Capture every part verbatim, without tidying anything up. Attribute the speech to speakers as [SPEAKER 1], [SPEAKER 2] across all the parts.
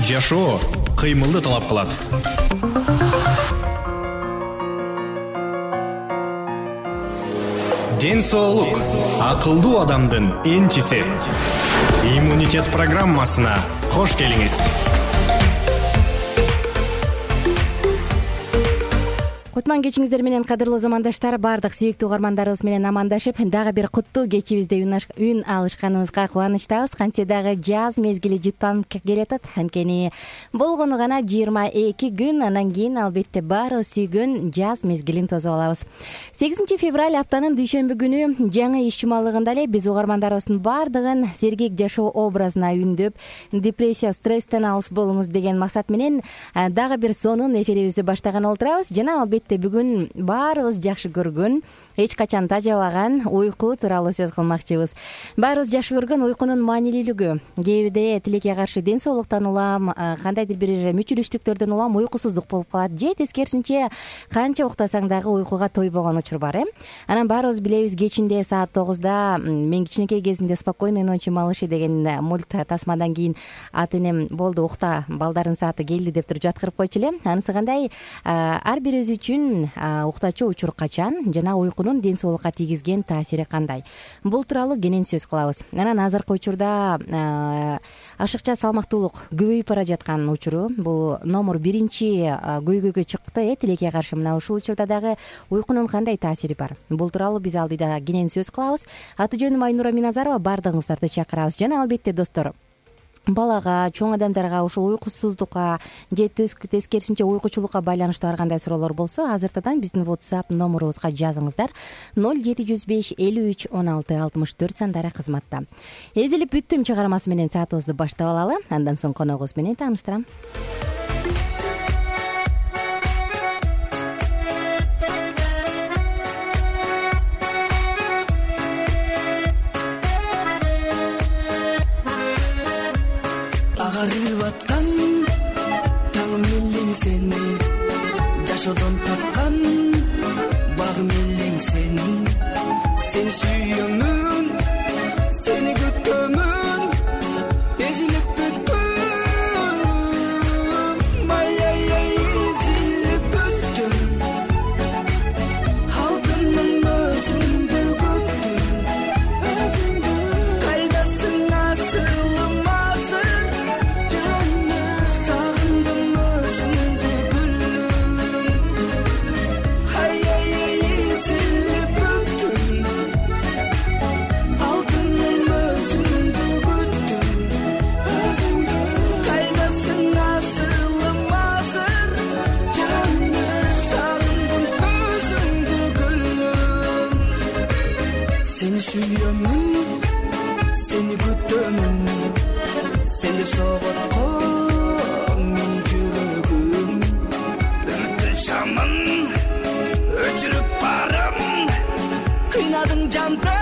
[SPEAKER 1] Жашоо кыймылды талап кылат. Ден соолук акылдуу адамдын энчиси. Иммунитет программасына кош келиңиз.
[SPEAKER 2] Кутман кечиңиздер менен кадырлуу замандаштар, бардык сүйүктүү угармандарыбыз менен амандашып, дагы бир куттуу кечибизде үн алышканыбызга кубанычтабыз. Кантсе дагы жаз мезгили жыттанып келатат. Анткени болгону гана жыйырма эки күн, анан кийин албетте баарыбыз сүйгөн жаз мезгилин тосуп алабыз. сегизинчи февраль аптанын дүйшөмбү күнү жаңы иш жумалыгында эле биз угармандарыбыздын бардыгын сергек жашоо образына үндөп, депрессия, стресстен алыс болуңуз деген максат менен дагы бир сонун эфирибизди баштаган олтурабыз. Жана албетте бүгүн баарыбыз жакшы көргөн, эч качан тажабаган уйку тууралуу сөз кылмакчыбыз. Баарыбыз жакшы көргөн уйкунун маанилүүлүгү. Кээ бирде тилекке каршы ден соолуктан улам, кандайдыр бир мүчүлүштүктөрдөн улам уйкусуздук болуп калат. Же тескерисинче канча уктасаң дагы уйкуга тойбогон учур бар, э? Анан баарыбыз билебиз, кечинде саат тогузда мен кичинекей кезимде «Спокойной ночи, малыши» деген мульт тасмадан кийин ата энем болду ухта, балдардын сааты келди деп туруп жаткырып койчу эле. Анысы кандай, ар бирибиз үчүн уктачу учур качан жана уйкунун ден соолукка тийгизген таасири кандай? Бул тууралуу кенен сөз кылабыз. Анан азыркы учурда ашыкча салмактуулук көбөйүп бара жаткан учуру, бул номер биринчи көйгөйгө чыкты, э, тилекке каршы. Мына ушул учурда дагы уйкунун кандай таасири бар? Бул тууралуу биз алдыда кенен сөз кылабыз. Аты жөнүм Айнура Миназарова, бардыгыңыздарды чакырабыз. Жана албетте достор, балага, чоң адамдарга ушул уйкусуздукка же тескерисинче уйкучулукка байланыштуу ар кандай суроолор болсо, азыртадан биздин WhatsApp номерубузга жазыңыздар. ноль жети жүз беш элүү үч он алты алтымыш төрт сандары кызматта. Эзилип бүттүм чыгармасы менен саатыбызды баштап алалы. Андан соң коногубуз менен тааныштырам.
[SPEAKER 3] Агарып аткан таң мелең сен, жашоодон тапкан багым элең сен. Сен сүйөмүн, сени күтөмүн, эзилип бүттүм, ай-ай-ай, эзилип бүттүм. Алтыным өзүңдү күттүм, кайдасың асылым азыр, сагындым өзүңдү гүлүм. Ай-ай-ай, эзилип бүттүм, алтыным өзүңдү күттүм, кайдасың асылым азыр, сагындым өзүңдү гүлүм. Сени сүйөмүн, сени күтөмүн, сен деп соготко менин жүрөгүм. Үмүттүн шамын өчүрүп барам, кыйнадың жанды.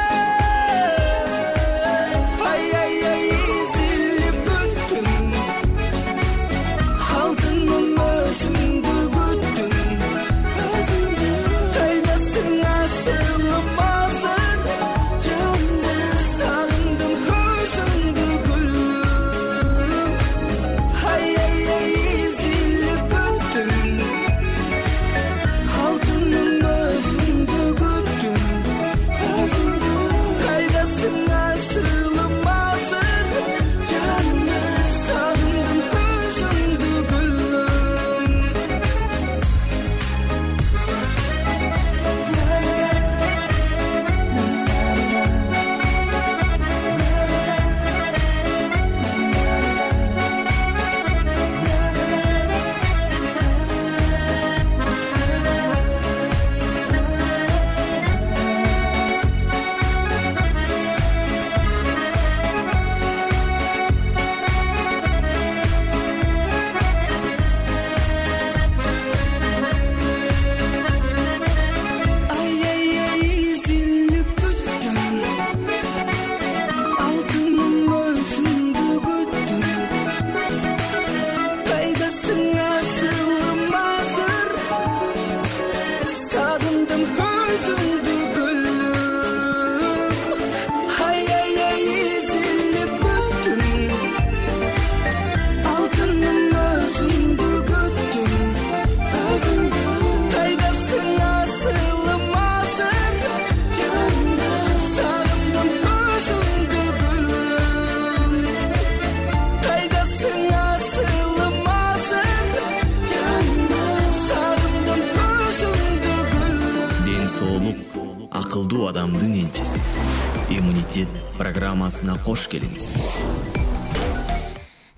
[SPEAKER 3] Ай-ай-ай, эзилип бүттүм, алтыным өзүңдү күттүм, кайдасың асылым азыр, сагындым өзүңдү гүлүм. Ай-ай-ай, эзилип бүттүм, алтыным өзүңдү күттүм,
[SPEAKER 4] адамдын энчиси. Иммунитет программасына кош келиңиз.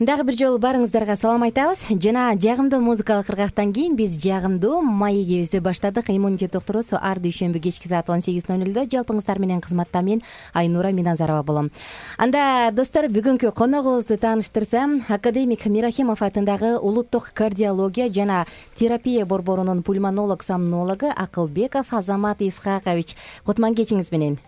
[SPEAKER 2] Дагы бир жолу баарыңыздарга салам айтабыз. Жана жагымдуу музыкалык ыргактан кийин биз жагымдуу маегибизди баштадык. Иммунитет докторусу ар дүйшөмбү кечки саат он сегиз ноль нөлдө жалпыңыздар менен кызматта мен Айнура Миназарова болом. Анда достор, бүгүнкү коногубузду тааныштырсам, академик Мирахимов атындагы улуттук кардиология жана терапия борборунун пульмонолог-сомнологу Акылбеков Азамат Исхакович. Кутман кечиңиз менен.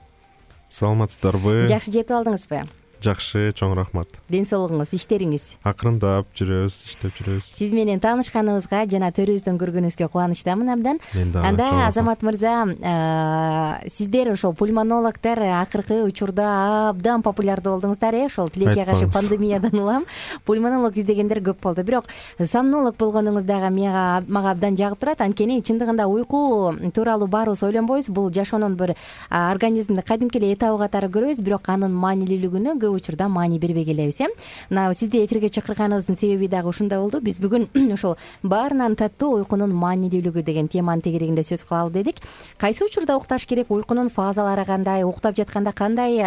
[SPEAKER 5] Саламатсыздарбы?
[SPEAKER 2] Жакшы жетип алдыңызбы?
[SPEAKER 5] Жакшы, чоң рахмат.
[SPEAKER 2] Ден соолугуңуз, иштериңиз?
[SPEAKER 5] Акырындап жүрөбүз, иштеп жүрөбүз.
[SPEAKER 2] Сиз менен таанышканыбызга жана төрүбүздөн көргөнүбүзгө кубанычтамын абдан.
[SPEAKER 5] Мен дагы.
[SPEAKER 2] Анда Азамат мырза, сиздер ошол пульмонологдор акыркы учурда абдан популярдуу болдуңуздар, э? Ошол тилекке каршы пандемиядан улам пульмонолог издегендер көп болду. Бирок сомнолог болгонуңуз дагы мага мага абдан жагып турат. Анткени чындыгында уйку тууралуу баарыбыз ойлонбойбуз. Бул жашоонун бир организмди кадимки эле этабы катары көрөбүз, бирок анын маанилүүлүгүнө көп учурда маани бербей келебиз, э? Мына сизди эфирге чакырганыбыздын себеби дагы ушунда болду. Биз бүгүн ошол баарынан таттуу уйкунун маанилүүлүгү деген теманын тегерегинде сөз кылалы дедик. Кайсы учурда укташ керек, уйкунун фазалары кандай, уктап жатканда кандай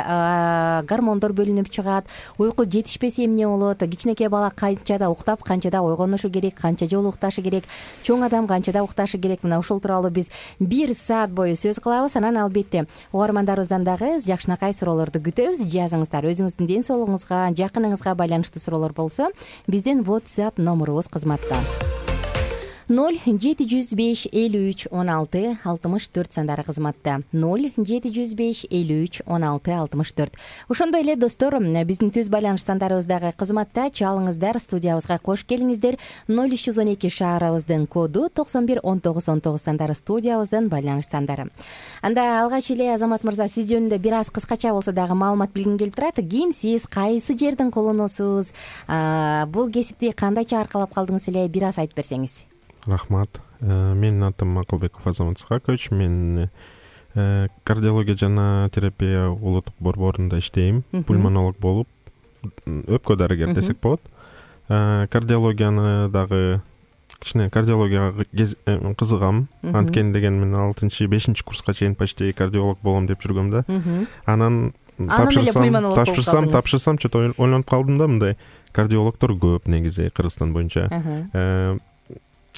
[SPEAKER 2] гормондор бөлүнүп чыгат, уйку жетишпесе эмне болот, кичинекей бала канчада уктап, канчада ойгонушу керек, канча жолу укташы керек, чоң адам канчада укташы керек. Мына ушул тууралуу биз бир саат бою сөз кылабыз. Анан албетте угармандарыбыздан дагы жакшынакай суроолорду күтөбүз. Жазыңыздар, өзүңүздүн ден соолугуңузга, жакыныңызга байланыштуу суроолор болсо, биздин WhatsApp номурубуз кызматта. ноль жети жүз беш элүү үч он алты алтымыш төрт сандары кызматта. ноль жети жүз беш элүү үч он алты алтымыш төрт. Ошондой эле достор, биздин түз байланыш сандарыбыз дагы кызматта. Чалыңыздар, студиябызга кош келиңиздер. ноль үч жүз он эки шаарыбыздын коду, токсон бир он тогуз он тогуз сандары студиябыздын байланыш сандары. Анда алгач эле Азамат мырза, сиз жөнүндө бир аз кыскача болсо дагы маалымат билгим келип турат. Кимсиз, кайсы жердин кулунусуз, бул кесипти кандайча аркалап калдыңыз эле, бир аз айтып берсеңиз.
[SPEAKER 5] Рахмат. Менин атым Акылбеков Азамат Исхакович. Мен кардиология жана терапия улуттук борборунда иштейм. Пульмонолог болуп, өпкө дарыгер десек болот. Кардиологияны дагы кичине кардиологияга кызыгам. Анткени деген мен алтынчы бешинчи курска чейин почти кардиолог болом деп жүргөм да. Анан тапшырсам, тапшырсам, тапшырсам, чөтө ойлонуп калдым да, мындай кардиологдор көп негизи Кыргызстан боюнча.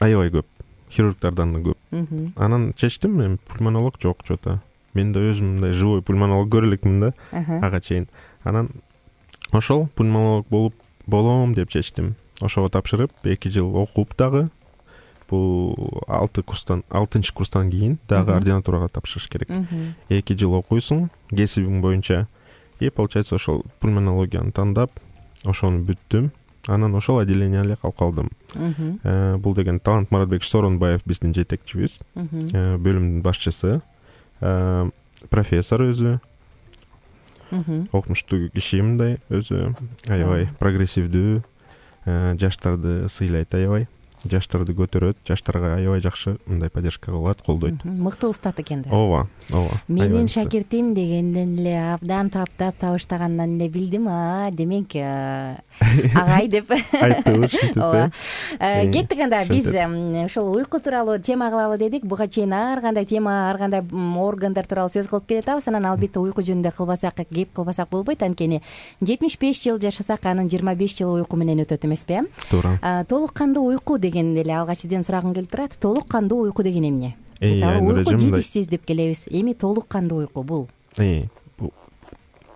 [SPEAKER 5] Аябай көп, хирургдардан да көп. Анан чечтим, мен пульмонолог жок, чөтө. Мен да өзүм мындай живой пульмонолог көрө элекмин да, ага чейин. Анан ошол пульмонолог болуп болом деп чечтим. Ошого тапшырып, эки жыл окуп дагы, бул алты курстан, алтынчы курстан кийин дагы ординатурага тапшырыш керек. эки жыл окуйсуң, кесибиң боюнча. И получается ошол пульмонологияны тандап, ошону бүттүм. Анан ошол отделение калып калдым. Бул деген Талант Маратбек Соронбаев биздин жетекчибиз, бөлүмдүн башчысы, профессор өзү, окумуштуу киши, мындай өзү аябай прогрессивдүү, жаштарды сыйлайт аябай, жаштарды көтөрөт, жаштарга аябай жакшы мындай поддержка кылат, колдойт.
[SPEAKER 2] Мыкты устат экен да.
[SPEAKER 5] Ооба, ооба.
[SPEAKER 2] Менин шакиртим дегенден эле абдан таптап табыштагандан эле билдим, а, демек агай деп
[SPEAKER 5] айтты, ушинтип.
[SPEAKER 2] Кеттик анда, биз ошол уйку тууралуу тема кылалы дедик. Буга чейин ар кандай тема, ар кандай органдар тууралуу сөз кылып келатабыз. Анан албетте уйку жөнүндө кылбасак, кеп кылбасак болбойт. Анткени жетимиш беш жыл жашасак, анын жыйырма беш жылы уйку менен өтөт эмеспи? Туура. Толук кандуу уйку дегенде эле алгач сизден сурагым келип турат. Толук кандуу уйку деген эмне? Мисалы, уйку жетишсиз деп келебиз. Эми толук кандуу уйку бул?
[SPEAKER 5] Э,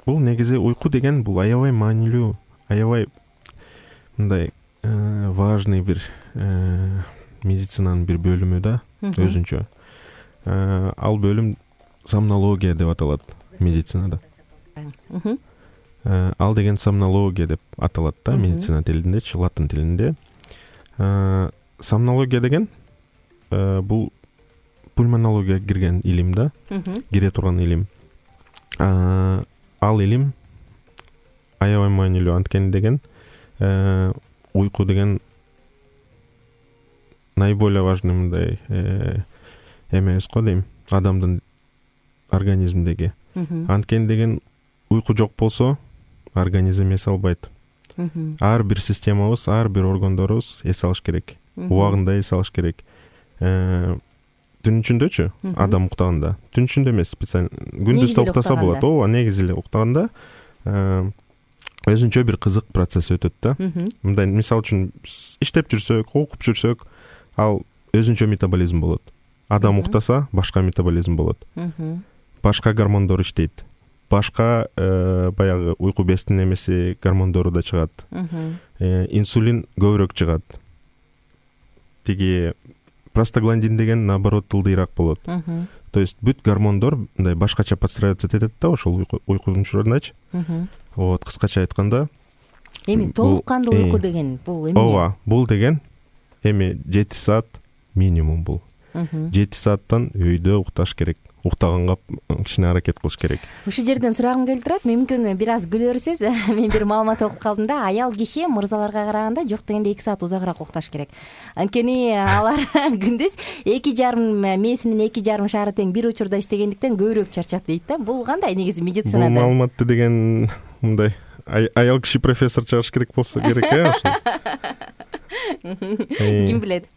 [SPEAKER 5] бул негизи уйку деген бул аябай маанилүү, аябай мындай важный бир медицинанын бир бөлүмү да, өзүнчө. Ал бөлүм сомнология деп аталат медицинада. Ал деген сомнология деп аталат да медицина тилинде, латын тилинде. Сомнология деген бул пульмонологияга кирген илим да, кире турган илим. Ал илим аябай маанилүү, анткени деген уйку деген наиболее важный мындай эмес го дейм, адамдын организминдеги. Анткени деген уйку жок болсо организм эс албайт. Ар бир системабыз, ар бир органдорубуз эс алыш керек. Убагында эс алыш керек. түн ичиндөчү адам уктаганда, түн ичинде эмес, специально күндүз да уктаса болот. Ооба, негизи эле уктаганда өзүнчө бир кызык процесс өтөт да. Мындай, мисалы үчүн иштеп жүрсөк, окуп жүрсөк, ал өзүнчө метаболизм болот. Адам уктаса башка метаболизм болот. Башка гормондор иштейт. Башка баягы уйку безинин эмеси гормондору да чыгат. Инсулин көбүрөөк чыгат. Тиги простагландин деген наоборот ылдыйраак болот. То есть бүт гормондор мындай башкача подстраиваться этет да, ошол уйкунун учурundачы. Вот, кыскача айтканда,
[SPEAKER 2] эми толук кандуу уйку деген бул эмне?
[SPEAKER 5] Ооба, бул деген эми жети саат минимум бул. жети сааттан өйдө укташ керек. Уктаганга кичине аракет кылыш керек.
[SPEAKER 2] Ушул жерден сурагым келип турат. Мүмкүн бир аз күлөрсүз. Мен бир маалымат окуп калдым да, аял киши мырзаларга караганда жок дегенде эки саат узагыраак укташ керек. Анткени алар күндүз эки жарым мээсинин эки жарым шаары тең бир учурда иштегендиктен көбүрөөк чарчат дейт да. Бул кандай негизи медицинада?
[SPEAKER 5] Бул маалыматты деген мындай аял киши профессор чыгарыш керек болсо керек, э, ошо.
[SPEAKER 2] Ким билет?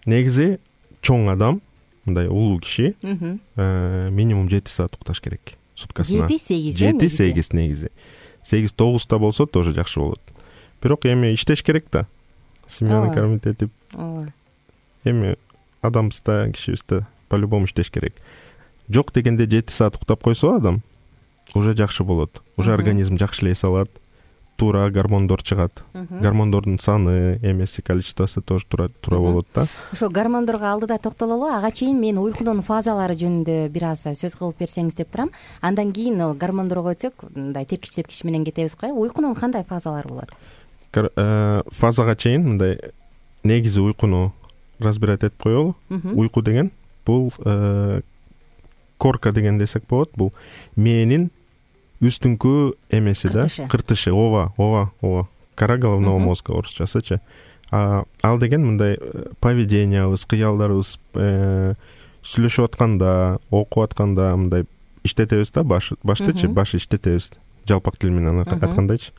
[SPEAKER 5] Негизи чоң адам, мындай улуу киши минимум жети саат укташ керек суткасына.
[SPEAKER 2] жети сегиз
[SPEAKER 5] жети сегиз негизи. сегиз тогузда болсо тоже жакшы болот. Бирок эми иштеш керек да. Семьяны кормить этип.
[SPEAKER 2] Ооба.
[SPEAKER 5] Эми адамбыз да, кишибиз да по-любому иштеш керек. Жок дегенде жети саат уктап койсо адам уже жакшы болот. Уже организм жакшылай салат. Туура гормондор чыгат. Гормондордун саны, эмеси, количествосы тоже туура туура болот да.
[SPEAKER 2] Ошо гормондорго алдыда токтололу. Ага чейин мен уйкунун фазалары жөнүндө бир аз сөз кылып берсеңиз деп турам. Андан кийин гормондорго өтсөк, мындай тиркич тепкич менен кетебиз го. Уйкунун кандай фазалары болот?
[SPEAKER 5] Фазага чейин мындай негизи уйкуну разбирать этип коелу. Уйку деген бул корка деген десек болот. Бул мээнин үстүңкү эмеси да, кыртышы. Ооба, ооба, ооба. Кора головного мозга орусчасычы. Ал деген мындай поведениябыз, кыялдарыбыз сүйлөшүп атканда, окуп атканда мындай иштетебиз да, баш баштычы, баш иштетебиз. Жалпак тил менен айткандайчы.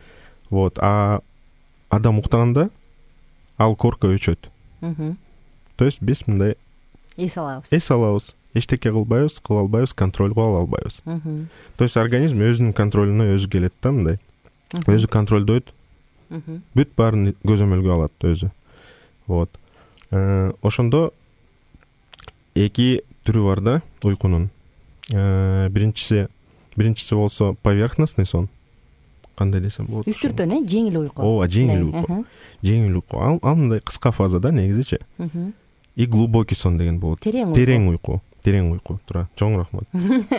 [SPEAKER 5] Вот, а адам уктаганда ал корка өчөт. То есть биз мындай
[SPEAKER 2] эс алабыз.
[SPEAKER 5] Эс алабыз. Эчтеке кылбайбыз, кыла албайбыз, контролго ала албайбыз. То есть организм өзүнүн контролуна өзү келет да, мындай. Өзү контролдойт. Бүт баарын көзөмөлгө алат өзү. Вот. Ошондо эки түрү бар да уйкунун. Биринчиси, биринчиси болсо поверхностный сон. Кандай десем болот?
[SPEAKER 2] Үстүртөн, э, жеңил уйку.
[SPEAKER 5] Ооба, жеңил уйку. Жеңил уйку. Ал ал мындай кыска фаза да, негизичи. И глубокий сон деген болот. Терең уйку. Терең уйку. Туура. Чоң рахмат.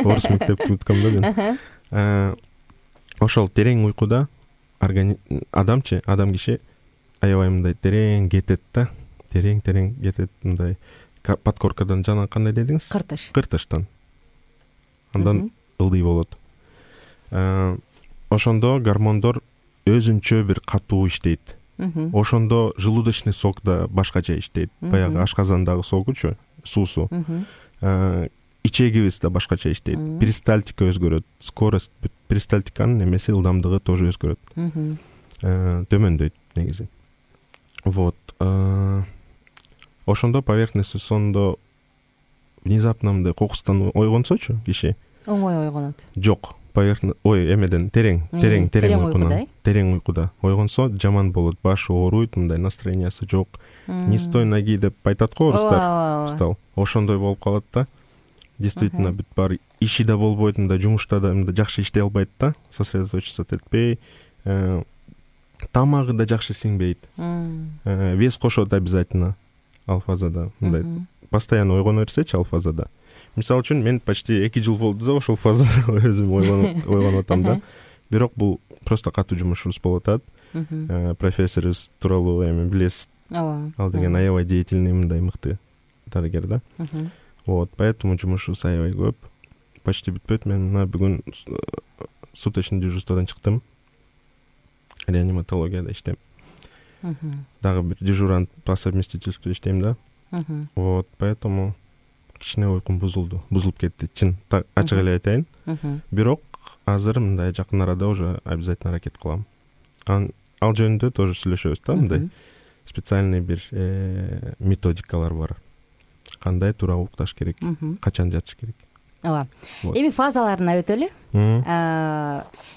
[SPEAKER 5] Орус мектепти бүткөм да мен. Ошол терең уйкуда адамчы, адам киши аябай мындай терең кетет да. Терең-терең кетет мындай подкоркадан жана кандай дедиңиз?
[SPEAKER 2] Кыртыш.
[SPEAKER 5] Кыртыштан. Андан ылдый болот. Ошондо гормондор өзүнчө бир катуу иштейт. Ошондо желудочный сок да башкача иштейт. Баягы ашказандагы согучу, суусу. Ичегибиз да башкача иштейт. Перистальтика өзгөрөт. Скорость перистальтиканын эмеси ылдамдыгы тоже өзгөрөт. Төмөндөйт негизи. Вот. Ошондо поверхностный сондо внезапно мындай кокустан ойгонсочу киши.
[SPEAKER 2] Оңой ойгонот.
[SPEAKER 5] Жок. Поверхность, ой, эмеден терең, терең, терең уйкуна, терең уйкуда ойгонсо жаман болот, башы ооруйт, мындай настроениясы жок. Не стой ноги деп айтат го орустар. Встал. Ошондой болуп калат да. Действительно, бүт бар иши да болбойт, мындай жумушта да мындай жакшы иштей албайт да, сосредоточиться этпей, тамагы да жакшы сиңбейт. Вес кошот обязательно ал фазада, мындай постоянно ойгоно берсечи ал фазада. Мисалы үчүн мен почти эки жыл болду да ошол фазада өзүм ойгонуп ойгонуп атам да. Бирок бул просто катуу жумушубуз болуп атат. Профессорубуз тууралуу эми билесиз. Ооба. Ал деген аябай деятельный мындай мыкты дарыгер да. Вот, поэтому жумушубуз аябай көп. Почти бүтпөйт. Мен мына бүгүн суточный дежурстводан чыктым. Реаниматологияда иштейм. Дагы бир дежурант по совместительству иштейм да. Вот, поэтому кичине уйкум бузулду, бузулуп кетти. Чын ачык эле айтайын. Бирок азыр мындай жакын арада уже обязательно аракет кылам. Ал жөнүндө тоже сүйлөшөбүз да, мындай специальный бир методикалар бар. кандай туура укташ керек, качан жатыш керек.
[SPEAKER 2] ооба. Эми фазаларына өтөлү.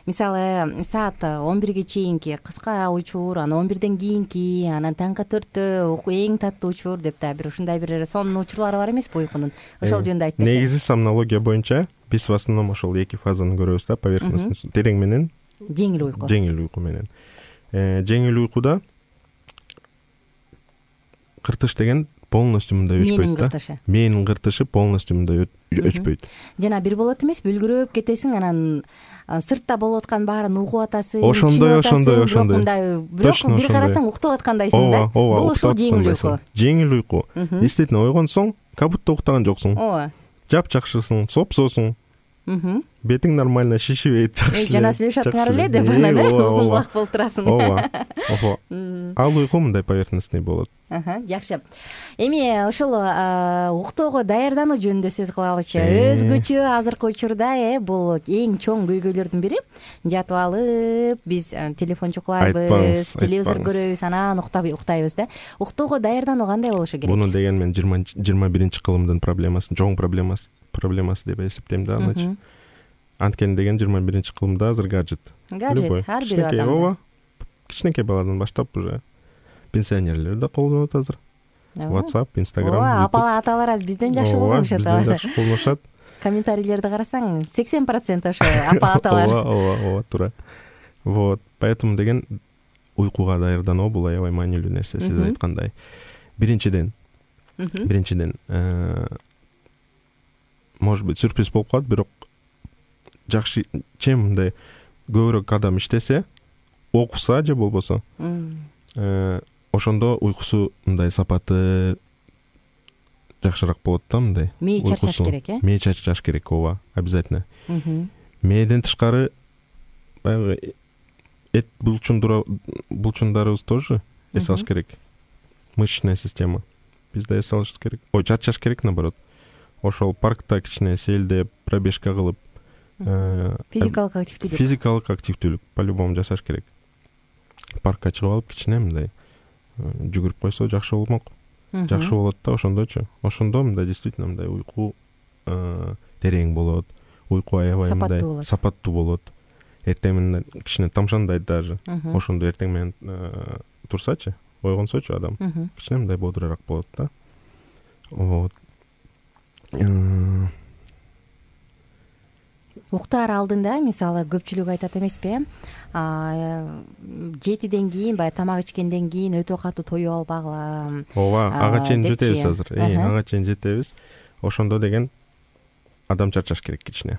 [SPEAKER 2] Мисалы саат он бирге чейинки кыска учур, анан он бирден кийинки, анан таңкы төрттө эң таттуу учур деп да бир ушундай бир сонун учурлары бар эмеспи уйкунун? Ошол жөнүндө айтып берсең.
[SPEAKER 5] Негизи сомнология боюнча биз в основном ошол эки фазаны көрөбүз да, поверхностный терең менен
[SPEAKER 2] жеңил уйку.
[SPEAKER 5] Жеңил уйку менен. Жеңил уйкуда кыртыш деген полностью мындай өчпөйт да. Мээнин кыртышы полностью мындай өчпөйт.
[SPEAKER 2] Жана бир болот эмеспи, үлгүрөп кетесиң, анан сыртта болуп аткан баарын угуп атасың.
[SPEAKER 5] Ошондой, ошондой, ошондой.
[SPEAKER 2] Бирок бир карасаң уктап аткандайсың да. Бул ошол жеңил уйку.
[SPEAKER 5] Жеңил уйку. Действительно ойгонсоң, как будто уктаган жоксуң.
[SPEAKER 2] Ооба.
[SPEAKER 5] Жапжакшысың, сопсосуң. Бетиң нормально шишибейт, жакшы.
[SPEAKER 2] Жана сүйлөшүп аткар эле деп анан узун кулак болуп турасың.
[SPEAKER 5] Ооба. Ооба. Ал уйку мындай поверхностный болот.
[SPEAKER 2] Жакшы. Эми ошол уктоого даярдануу жөнүндө сөз кылалычы. Өзгөчө азыркы учурда э бул эң чоң көйгөйлөрдүн бири. Жатып алып, биз телефон чукулайбыз, телевизор көрөбүз, анан уктайбыз да. Уктоого даярдануу кандай болушу керек?
[SPEAKER 5] Буну деген мен жыйырма биринчи кылымдын проблемасы, чоң проблемасы проблемасы деп эсептейм да анычы. Анткени деген жыйырма биринчи кылымда азыр гаджет.
[SPEAKER 2] Гаджет ар бир адам.
[SPEAKER 5] Ооба. Кичинекей баладан баштап уже пенсионерлер да колдонот азыр. WhatsApp, Instagram.
[SPEAKER 2] Ооба, апа аталар аз бизден жакшы колдонушат.
[SPEAKER 5] Бизден жакшы колдонушат.
[SPEAKER 2] Комментарийлерди карасаң, сексен процент ошо апа аталар.
[SPEAKER 5] Ооба, ооба, ооба, туура. Вот, поэтому деген уйкуга даярдануу бул аябай маанилүү нерсе, сиз айткандай. Биринчиден, биринчиден, может быть, сюрприз болуп калат, бирок жакшы, чем мындай көбүрөөк адам иштесе, окуса же болбосо, ошондо уйкусу мындай сапаты жакшыраак болот да, мындай.
[SPEAKER 2] Мээ чарчаш керек, э?
[SPEAKER 5] Мээ чарчаш керек, ооба, обязательно. Мээден тышкары баягы эт булчундарыбыз тоже эс алыш керек. Мышечная система. Биз да эс алышыбыз керек. Ой, чарчаш керек, наоборот. Ошол паркта кичине сейилдеп, пробежка кылып,
[SPEAKER 2] физикалык активдүүлүк.
[SPEAKER 5] Физикалык активдүүлүк по-любому жасаш керек. Паркка чыгып алып кичине мындай жүгүрүп койсо жакшы болмок. Жакшы болот да, ошондочу. Ошондо мындай действительно мындай уйку терең болот, уйку аябай мындай сапаттуу болот. Эртең менен кичине тамшандайт даже. Ошондо эртең менен турсачы, ойгонсочу адам, кичине мындай бодураак болот да. Вот.
[SPEAKER 2] Уктаар алдында, мисалы, көпчүлүк айтат эмеспи, жетиден кийин, баягы тамак ичкенден кийин өтө катуу тоюп албагыла.
[SPEAKER 5] Ооба, ага чейин жетебиз азыр. Э, ага чейин жетебиз. Ошондо деген адам чарчаш керек кичине.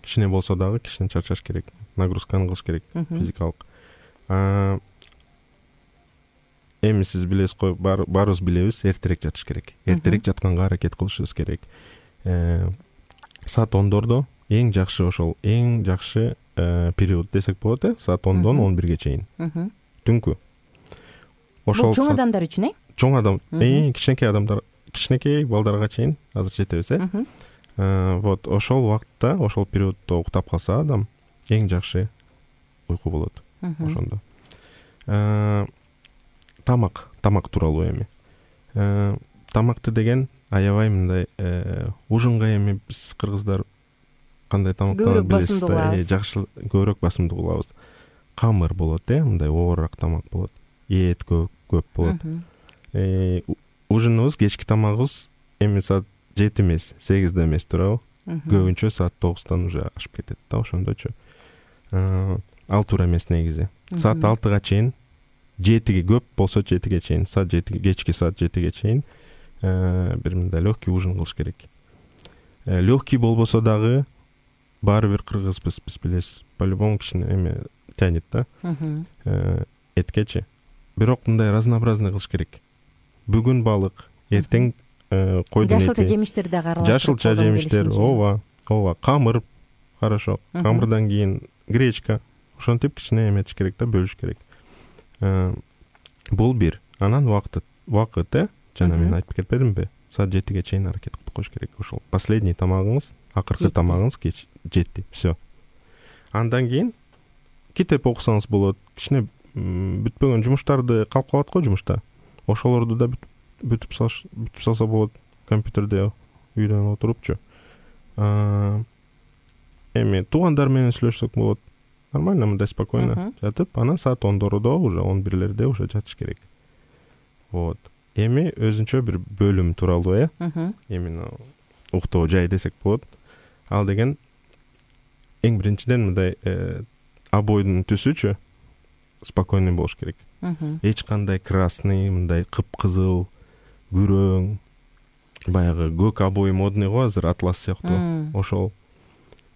[SPEAKER 5] Кичине болсо дагы кичине чарчаш керек. Нагрузканы кылыш керек, физикалык. Эми сиз билесиз го, баарыбыз билебиз, эртерээк жатыш керек. Эртерээк жатканга аракет кылышыбыз керек. Саат ондордо эң жакшы ошол эң жакшы период десек болот, э, саат ондон он бирге чейин. Түнкү.
[SPEAKER 2] Ошол чоң адамдар үчүн, э?
[SPEAKER 5] Чоң адам, э, кичинекей адамдар, кичинекей балдарга чейин азыр жетебиз, э. Вот, ошол убакытта, ошол периоддо уктап калса адам, эң жакшы уйку болот ошондо. Тамак, тамак тууралуу эми. Тамакты деген аябай мындай ужунга эми биз кыргыздар кандай тамактарды билесиз да, жакшы көбүрөөк басымдуу кылабыз. Камыр болот, э, мындай оорураак тамак болот. Эт көп көп болот. Э, ужунубуз, кечки тамагыбыз эми саат жети эмес, сегизде эмес, туурабы? Көбүнчө саат тогуздан уже ашып кетет да, ошондочу. Ал туура эмес негизи. Саат алтыга чейин, жетиге көп болсо жетиге чейин, саат жетиге, кечки саат жетиге чейин бир мындай легкий ужин кылыш керек. Легкий болбосо дагы баары бир кыргызбыз, биз билесиз, по-любому кичине эме тянет да. Эткечи. Бирок мындай разнообразный кылыш керек. Бүгүн балык, эртең койдун эти.
[SPEAKER 2] Жашылча жемиштерди дагы аралаштырып.
[SPEAKER 5] Жашылча жемиштер, ооба, ооба, камыр, хорошо. Камырдан кийин гречка. Ошентип кичине эметиш керек да, бөлүш керек. Бул бир. Анан убакыт, убакыт, э, жана мен айтып кетпедимби? Саат жетиге чейин аракет кылып коюш керек. Ошол последний тамагыңыз, акыркы тамагыңыз кеч жетти. Всё. Андан кийин китеп окусаңыз болот. Кичине бүтпөгөн жумуштарды калып калат го жумушта. Ошолорду да бүтүп салыш, бүтүп салса болот. компьютерде үйдөн отурупчу. Эми туугандар менен сүйлөшсөк болот. Нормально, мындай спокойно жатып, анан саат ондордо уже он бирлерде уже жатыш керек. Вот. Эми өзүнчө бир бөлүм тууралуу, э? Именно уктоо жай десек болот. Ал деген эң биринчиден мындай обойдун түсүчү спокойный болуш керек. Эч кандай красный, мындай кыпкызыл, күрөң, баягы көк обой модный го азыр, атлас сыяктуу. Ошол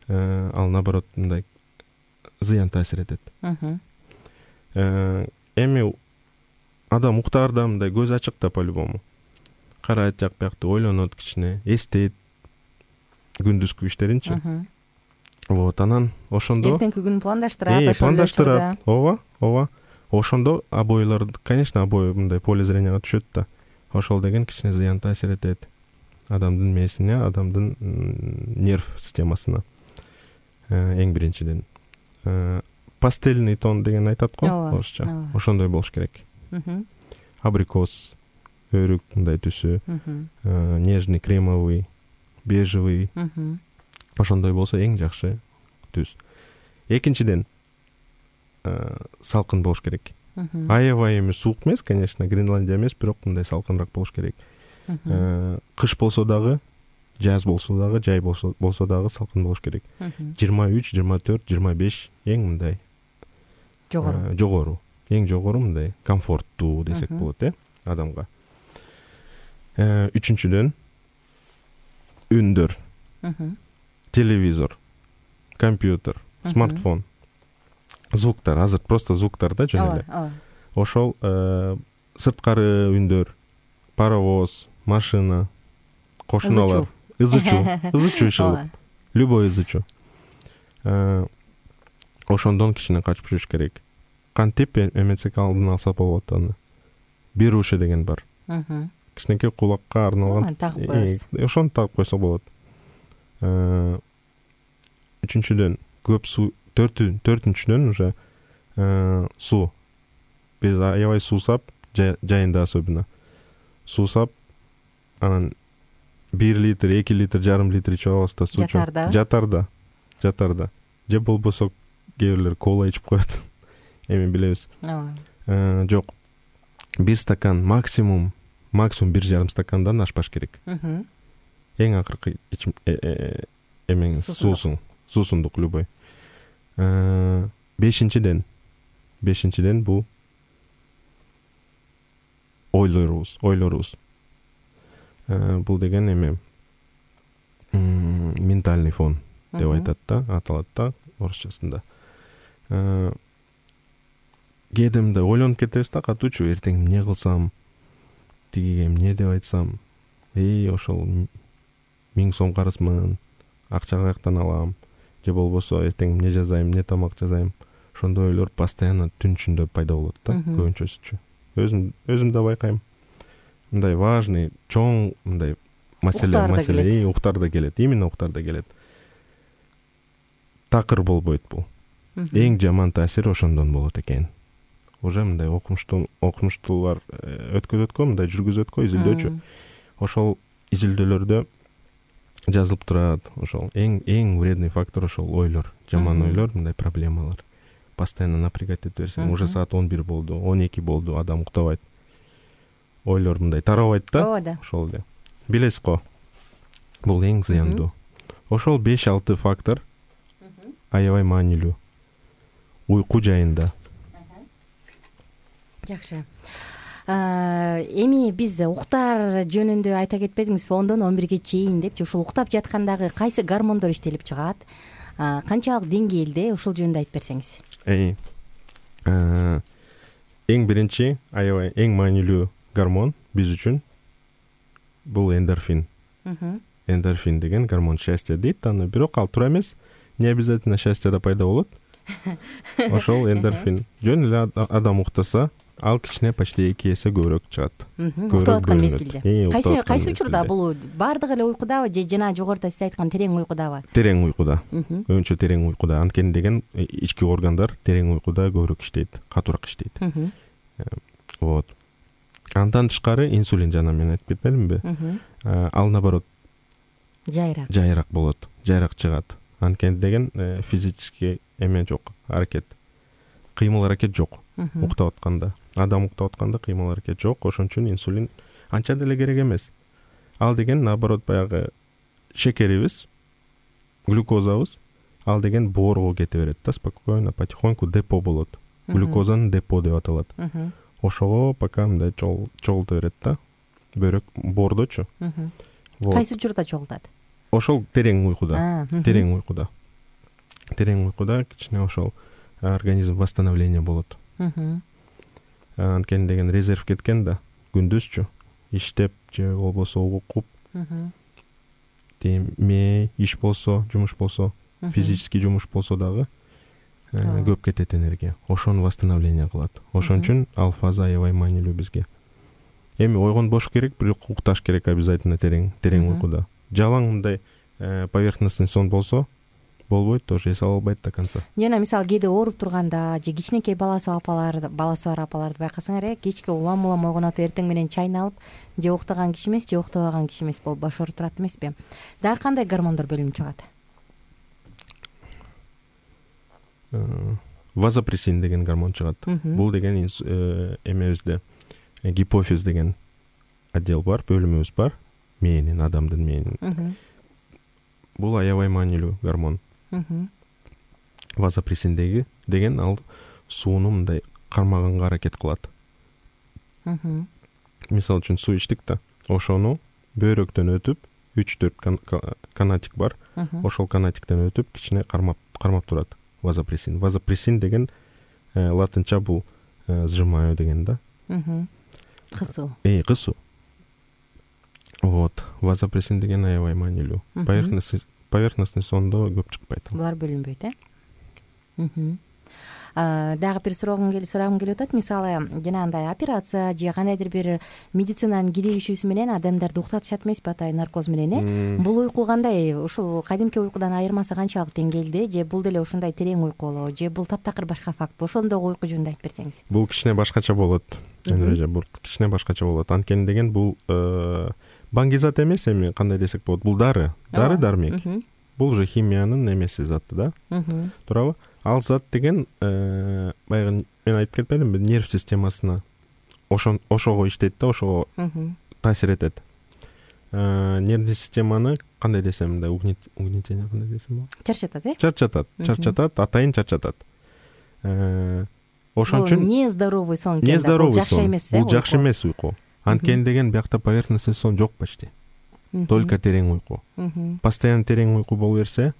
[SPEAKER 5] ал наоборот мындай зыян таасир этет. Эми адам уктаарда мындай көз ачык да по-любому. Карайт жак биякты, ойлонот кичине, эстейт күндүзкү иштеринчи. Вот, анан ошондо
[SPEAKER 2] эртеңки күнүн пландаштырат,
[SPEAKER 5] ошол пландаштырат. Ооба, ооба. Ошондо обойлор, конечно, обой мындай поле зренияга түшөт да. Ошол деген кичине зыян таасир этет адамдын мээсине, адамдын нерв системасына. Эң биринчиден пастельный тон деген айтат го орусча. Ошондой болуш керек. Абрикос, өрүк мындай түсү, нежный, кремовый, бежевый. Ошондой болсо эң жакшы түс. Экинчиден салкын болуш керек. Аябай эмес, суук эмес, конечно, Гренландия эмес, бирок мындай салкынраак болуш керек. Кыш болсо дагы, жаз болсо дагы, жай болсо болсо дагы салкын болуш керек. жыйырма үч, жыйырма төрт, жыйырма беш эң мындай жогору. Жогору. Эң жогору мындай комфорттуу десек болот, э, адамга. Үчүнчүдөн үндөр. Телевизор, компьютер, смартфон, звуктар, азыр просто звуктар да жөн эле. Ошол сырткары үндөр, паровоз, машина, кошуналар, ызычуу, ызычуу чыгып, любой ызычуу. Ошондон кичине качып жүрүш керек. Кантип эметсек алдын алса болот аны. Беруши деген бар. Кичинекей кулакка арналган. Ошону тагып койсо болот. Үчүнчүдөн көп суу, төртүнчүдөн уже суу. Биз аябай суусап, жайында особенно суусап, анан бир литр, эки литр, жарым литр ичип алабыз да суу. Жатарда. Жатарда. Жатарда. Же болбосо кээ бирлер кола ичип коет. Эми билебиз. Жок. Бир стакан максимум, максимум бир жарым стакандан ашпаш керек. Эң акыркы ичим эмең суусун, суусундук любой. Бешинчиден, бешинчиден бул ойлорубуз, ойлорубуз. Бул деген эме ментальный фон деп айтат да, аталат да орусчасында. Кээде мындай ойлонуп кетебиз да, катуучу, эртең эмне кылсам, тигиге эмне деп айтсам, эй, ошол миң сом карызмын, акча каяктан алам, же болбосо эртең эмне жазайм, эмне тамак жасайм. Ошондой ойлор постоянно түн ичинде пайда болот да, көбүнчөсүчү. Өзүм өзүм да байкайм. Мындай важный, чоң мындай маселе, маселе уктарда келет, именно уктарда келет. Такыр болбойт бул. Эң жаман таасир ошондон болот экен. Уже мындай окумуштуу, окумуштуулар өткөзөткө, мындай жүргүзөткө, изилдөөчү. Ошол изилдөөлөрдө жазылып турат, ошол эң эң вредный фактор ошол ойлор, жаман ойлор, мындай проблемалар. Постоянно напрягать эте берсең, уже саат он бир болду, он эки болду, адам уктабайт. Ойлор мындай тарабайт да. Ошол эле. Билесиз го. Бул эң зыяндуу. Ошол беш алты фактор аябай маанилүү. Уйку жайында.
[SPEAKER 2] Жакшы. Эми биз уктар жөнүндө айта кетпедиңизби? ондон он бирге чейин депчи, ушул уктап жаткандагы кайсы гормондор иштелип чыгат? Канчалык деңгээлде, ушул жөнүндө айтып берсеңиз.
[SPEAKER 5] Эй. Эң биринчи, аябай эң маанилүү гормон биз үчүн бул эндорфин. Эндорфин деген гормон счастья дейт аны, бирок ал туура эмес. Не обязательно счастье да пайда болот. Ошол эндорфин. Жөн эле адам уктаса, ал кичине почти эки эсе көбүрөөк чыгат.
[SPEAKER 2] Уктап аткан мезгилде. Кайсы кайсы учурда бул бардыгы эле уйкудабы же жана жогоруда сиз айткан терең уйкудабы? Терең
[SPEAKER 5] уйкуда. Көбүнчө терең уйкуда. Анткени деген ички органдар терең уйкуда көбүрөөк иштейт, катуураак иштейт. Вот. Андан тышкары инсулин жана мен айтып кетпедимби? Ал наоборот
[SPEAKER 2] жайыраак
[SPEAKER 5] жайыраак болот, жайыраак чыгат. Анткени деген физический эме жок, аракет, кыймыл аракет жок. Уктап атканда, адам уктап атканда кыймыл аракет жок, ошон үчүн инсулин анча деле керек эмес. Ал деген наоборот баягы шекерибиз, глюкозабыз, ал деген боорго кете берет да, спокойно, потихоньку депо болот. Глюкозанын депо деп аталат. Ошого пока мындай чогулта берет да, бөйрөк боордочу.
[SPEAKER 2] Кайсы учурда чогултат?
[SPEAKER 5] Ошол терең уйкуда, терең уйкуда. Терең уйкуда кичине ошол организм восстановление болот. Анткени деген резерв кеткен да, күндүзчү иштеп же болбосо угуп, теме иш болсо, жумуш болсо, физический жумуш болсо дагы көп кетет энергия. Ошону восстановление кылат. Ошон үчүн ал фаза аябай маанилүү бизге. Эми ойгонбош керек, бирок укташ керек обязательно терең, терең уйкуда. Жалаң мындай поверхностный сон болсо болбойт, тоже эс ала албайт до конца.
[SPEAKER 2] Жана мисалы кээде ооруп турганда же кичинекей баласы апалар, баласы бар апаларды байкасаңар, кечке улам улам ойгонот, эртең менен чайын алып, же уктаган киши эмес, же уктабаган киши эмес болуп башырып турат эмеспи? Дагы кандай гормондор бөлүнүп чыгат?
[SPEAKER 5] Вазопрессин деген гормон чыгат. Бул деген эмебизде гипофиз деген отдел бар, бөлүмүбүз бар, мээнин, адамдын мээнин. Бул аябай маанилүү гормон. Вазопрессин деген ал сууну мындай кармаганга аракет кылат. Мисалы үчүн суу ичтик да, ошону бөйрөктөн өтүп, үч төрт канатик бар, ошол канатиктен өтүп кичине кармап кармап турат. Вазопрессин. Вазопрессин деген латынча бул сжимаю деген да.
[SPEAKER 2] Кысуу.
[SPEAKER 5] Э, кысуу. Вот. Вазопрессин деген аябай маанилүү. Поверхностный поверхностный сондо көп чыкпайт.
[SPEAKER 2] Булар бөлүнбөйт, э? Дагы бир сурагым келип атат. Мисалы, жанагындай операция же кандайдыр бир медицинанын киришүүсү менен адамдарды уктатышат эмеспи атайын наркоз менен, э? Бул уйку кандай? Ушул кадимки уйкудан айырмасы канчалык деңгээлде? Же бул деле ушундай терең уйку болобу? Же бул таптакыр башка факт? Ошондогу уйку жөнүндө айтып берсеңиз.
[SPEAKER 5] Бул кичине башкача болот. Энеже бул кичине башкача болот. Анткени деген бул баңгизат эмес, эми кандай десек болот? Бул дары, дары дармек. Бул уже химиянын эмеси заты да. Туурабы? Ал зат деген баягы мен айтып кетпедимби, нерв системасына ошон ошого иштейт да, ошого таасир этет. Нервный системаны кандай десем, мындай угнетение кандай десем болот?
[SPEAKER 2] Чарчатат, э?
[SPEAKER 5] Чарчатат, чарчатат, атайын чарчатат. Ошон үчүн
[SPEAKER 2] нездоровый сон экен да, бул жакшы эмес, э?
[SPEAKER 5] Бул жакшы эмес уйку. Анткени деген биякта поверхностный сон жок почти. Только терең уйку. Постоянно терең уйку боло берсе,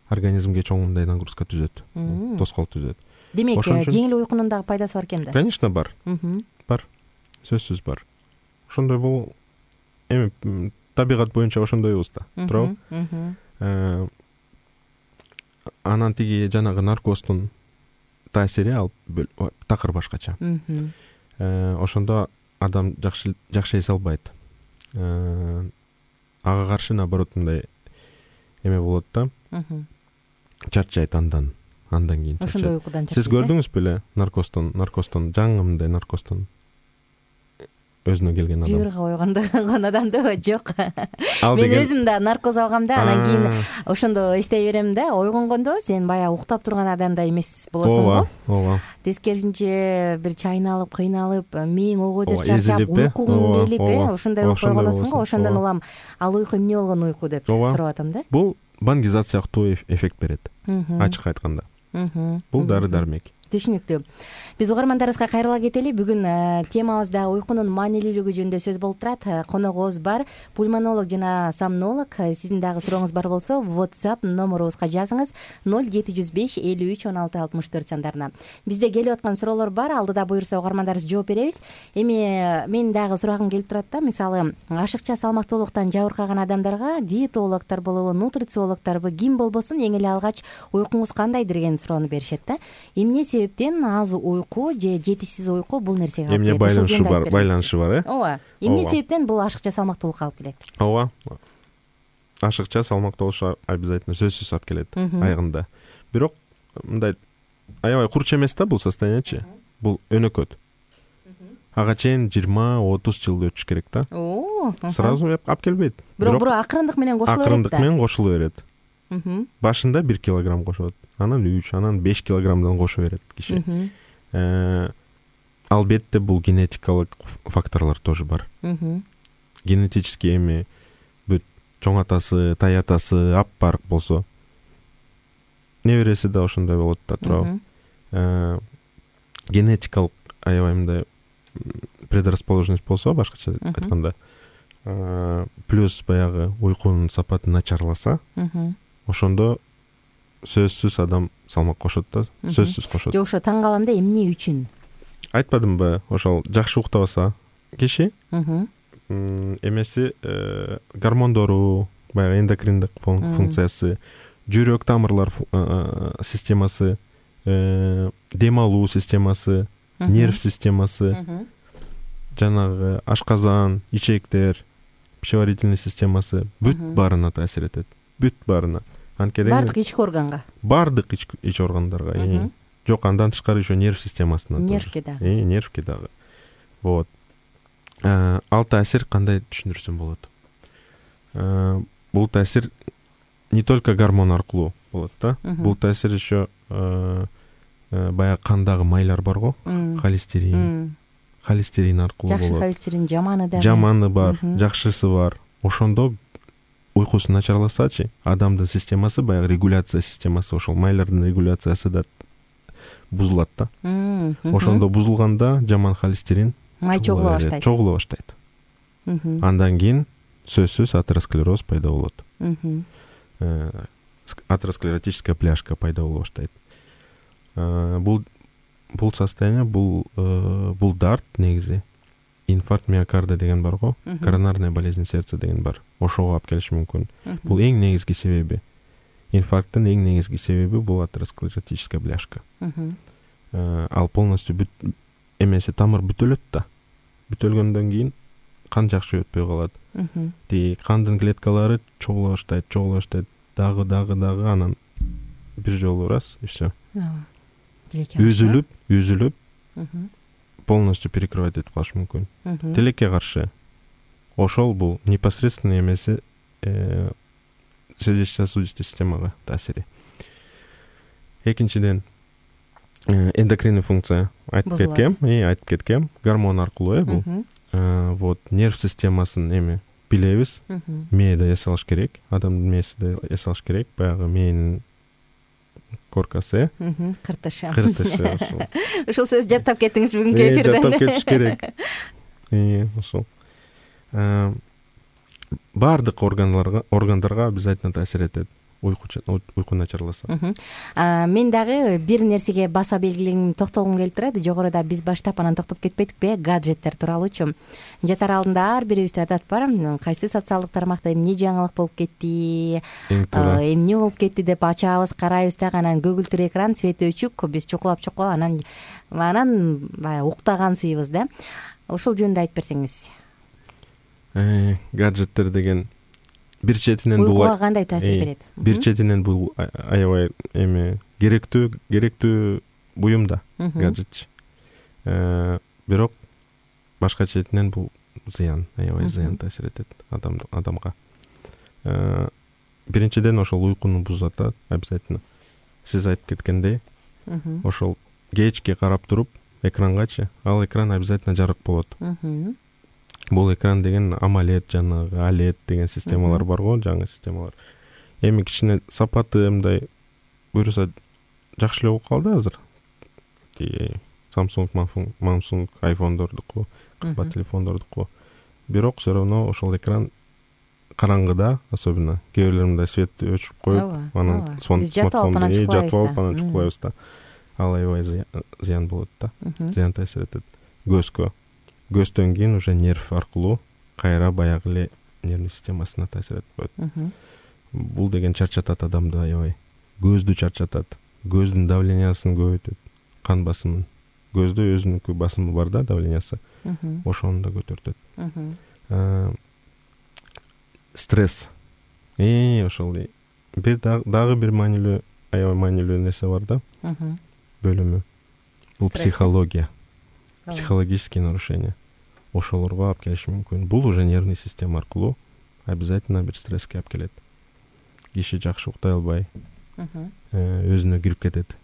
[SPEAKER 5] организмге чоң мындай нагрузка түзөт, тоскоол түзөт.
[SPEAKER 2] Демек, жеңил уйкунун дагы пайдасы бар экен да?
[SPEAKER 5] Конечно, бар. Бар. Сөзсүз бар. Ошондой бул эми табигат боюнча ошондойбуз да, туурабы? Анан тиги жанагы наркоздун таасири ал такыр башкача. Ошондо адам жакшы жакшы эс албайт. Ага каршы наоборот мындай эме болот да. Чарчайт андан, андан кийин чарчайт.
[SPEAKER 2] Ошондой уйкудан чарчайт.
[SPEAKER 5] Сиз көрдүңүз беле наркоздон, наркоздон жаңы мындай наркоздон өзүнө келген адам?
[SPEAKER 2] Жыбырга ойгондогон адамды жок. Мен өзүм да наркоз алгам да, анан кийин ошондо эстей берем да, ойгонгондо сен баягы уктап турган адамдай эмес болосуң го.
[SPEAKER 5] Ооба.
[SPEAKER 2] Тескерисинче бир чайналып, кыйналып, мээң ого дер чарчап, уйкуң келип, э, ошондой болуп койгонсуң го. Ошондон улам ал уйку эмне болгон уйку деп сурап атам да.
[SPEAKER 5] Бул баңгизат сыяктуу эффект берет. Ачык айтканда. Бул дары дармек.
[SPEAKER 2] Түшүнүктүү. Биз угармандарыбызга кайрыла кетели. Бүгүн темабызда уйкунун маанилүүлүгү жөнүндө сөз болуп турат. Коногубуз бар, пульмонолог жана сомнолог. Сиздин дагы сурооңуз бар болсо, WhatsApp номерубузга жазыңыз ноль жети жүз беш элүү үч он алты алтымыш төрт сандарына. Бизде келип аткан суроолор бар. Алдыда буюрса угармандарыбыз жооп беребиз. Эми мен дагы сурагым келип турат да. Мисалы, ашыкча салмактуулуктан жабыркаган адамдарга диетологдор болобу, нутрициологдорбу, ким болбосун эң эле алгач уйкуңуз кандай деген суроону беришет да. Эмне себептен аз уйку же жетишсиз уйку бул нерсеге алып келет?
[SPEAKER 5] Эмне байланышы бар, байланышы бар, э?
[SPEAKER 2] Ооба. Эмне себептен бул ашыкча салмактуулукка алып келет?
[SPEAKER 5] Ооба. Ашыкча салмактуулук обязательно сөзсүз алып келет айгында. Бирок мындай аябай курч эмес да бул состояниечи. Бул өнөкөт. ага чейин жыйырма отуз жылды өтүш керек да.
[SPEAKER 2] Оо.
[SPEAKER 5] Сразу алып келбейт.
[SPEAKER 2] Бирок бирок акырындык менен кошула берет да.
[SPEAKER 5] Акырындык менен кошула берет.
[SPEAKER 2] Мхм.
[SPEAKER 5] Башында бир килограмм кошот, анан үч, анан беш килограммдан кошо берет киши. Э, Албетте бул генетикалык факторлор тоже бар.
[SPEAKER 2] Мхм.
[SPEAKER 5] Генетический эми бүт чоң атасы, тай атасы аппарык болсо, небереси да ошондой болот да, туурабы? Э, Генетикалык аябай мындай предрасположенность болсо, башкача айтканда, плюс баягы уйкунун сапаты начарласа, ошондо сөзсүз адам салмак кошот да, сөзсүз кошот.
[SPEAKER 2] Жок, ошо таң калам да, эмне үчүн?
[SPEAKER 5] Айтпадымбы, ошол жакшы уктабаса киши, эмеси гормондору, баягы эндокриндик функциясы, жүрөк тамырлар системасы, дем алуу системасы, нерв системасы, жанагы ашказан, ичектер, пищеварительный системасы бүт баарына таасир этет. Бүт баарына. Анткени
[SPEAKER 2] бардык ички органга.
[SPEAKER 5] Бардык ич органдарга. Жок, андан тышкары еще нерв системасына.
[SPEAKER 2] Нервке дагы.
[SPEAKER 5] Э, нервке дагы. Вот. Ал таасир кандай түшүндүрсөм болот? Бул таасир не только гормон аркылуу болот да. Бул таасир еще баягы кандагы майлар барго, холестерин. Холестерин аркылуу болот.
[SPEAKER 2] Жакшы холестерин, жаманы да.
[SPEAKER 5] Жаманы бар, жакшысы бар. Ошондо уйкусу начарласачы, адамдын системасы, баягы регуляция системасы, ошол майлардын регуляциясы да бузулат да. Ошондо бузулганда жаман холестерин
[SPEAKER 2] май чогула баштайт.
[SPEAKER 5] Чогула баштайт. Андан кийин сөзсүз атеросклероз пайда болот. Атеросклеротическая пляшка пайда боло баштайт. Бул бул состояние, бул бул дарт негизи инфаркт миокарда деген барго, коронарная болезнь сердца деген бар. Ошого алып келиши мүмкүн. Бул эң негизги себеби. Инфаркттын эң негизги себеби бул атеросклеротическая пляшка. Ал полностью бүт эмеси тамыр бүтөлөт да. Бүтөлгөндөн кийин кан жакшы өтпөй калат. Ти кандын клеткалары чогула баштайт, чогула баштайт, дагы дагы дагы анан бир жолу раз и всё. Үзүлүп, үзүлүп, полностью перекрывать этип калышы мүмкүн. Тилекке каршы ошол бул непосредственно эмеси сердечно-сосудистый системага таасири. Экинчиден эндокринный функция айтып кеткем, и айтып кеткем, гормон аркылуу э бул. Вот нерв системасын эми билебиз. Мээде эс алыш керек, адамдын мээсиде эс алыш керек, баягы мээнин коркасы,
[SPEAKER 2] кыртышы.
[SPEAKER 5] Кыртышы.
[SPEAKER 2] Ушул сөз жаттап кеттиңиз бүгүнкү эфирден.
[SPEAKER 5] Жаттап кетиш керек. И ошол. Бардык органдарга, органдарга обязательно таасир этет. Уйку уйку начарласа.
[SPEAKER 2] Мен дагы бир нерсеге баса белгилегим, токтолгум келип турат. Жогоруда биз баштап анан токтоп кетпедикпи? Гаджеттер тууралуучу. Жатар алдында ар бирибизде адат бар. Кайсы социалдык тармакта эмне жаңылык болуп кетти, эмне болуп кетти деп ачабыз, карайбыз да, анан көгүлтүр экран, свети өчүк, биз чукулап чукулап анан анан баягы уктагансыйбыз да. Ошол жөнүндө айтып берсеңиз.
[SPEAKER 5] Э, гаджеттер деген бир четинен бул
[SPEAKER 2] уйкуга кандай таасир берет?
[SPEAKER 5] Бир четинен бул аябай эми керектүү, керектүү буюм да гаджет. Э, бирок башка четинен бул зыян, аябай зыян таасир этет адамга, адамга. Э, биринчиден ошол уйкуну бузат обязательно. Сиз айтып кеткендей, ошол кечке карап туруп экранганчы, ал экран обязательно жарык болот. Бул экран деген AMOLED, жанагы OLED деген системалар бар го, жаңы системалар. Эми кичине сапаты мындай буюрса жакшы эле болуп калды азыр. Samsung, Samsung, iPhone'дордуку, кымбат телефондордуку. Бирок все равно ошол экран караңгыда, особенно кээ бирлер мындай светти өчүрүп коюп, анан смартфонду жатып алып анан чукулайбыз да. Ал аябай зыян болот да. Зыян таасир этет көзгө. Көздөн кийин уже нерв аркылуу кайра баягы эле нервный системасына таасир этип коет. Бул деген чарчатат адамды аябай. Көздү чарчатат, көздүн давлениясын көбөйтөт, кан басымын. Көздө өзүнүnkү басымы бар да, давлениясы. Ошону да көтөртөт. Стресс. Э, ошол бир дагы бир маанилүү, аябай маанилүү нерсе бар да. Бөлүмү. Бул психология. психологические нарушения ошолорго алып келиши мүмкүн. Бул уже нервный система аркылуу обязательно бир стресске алып келет. Киши жакшы уктай албай, өзүнө кирип кетет,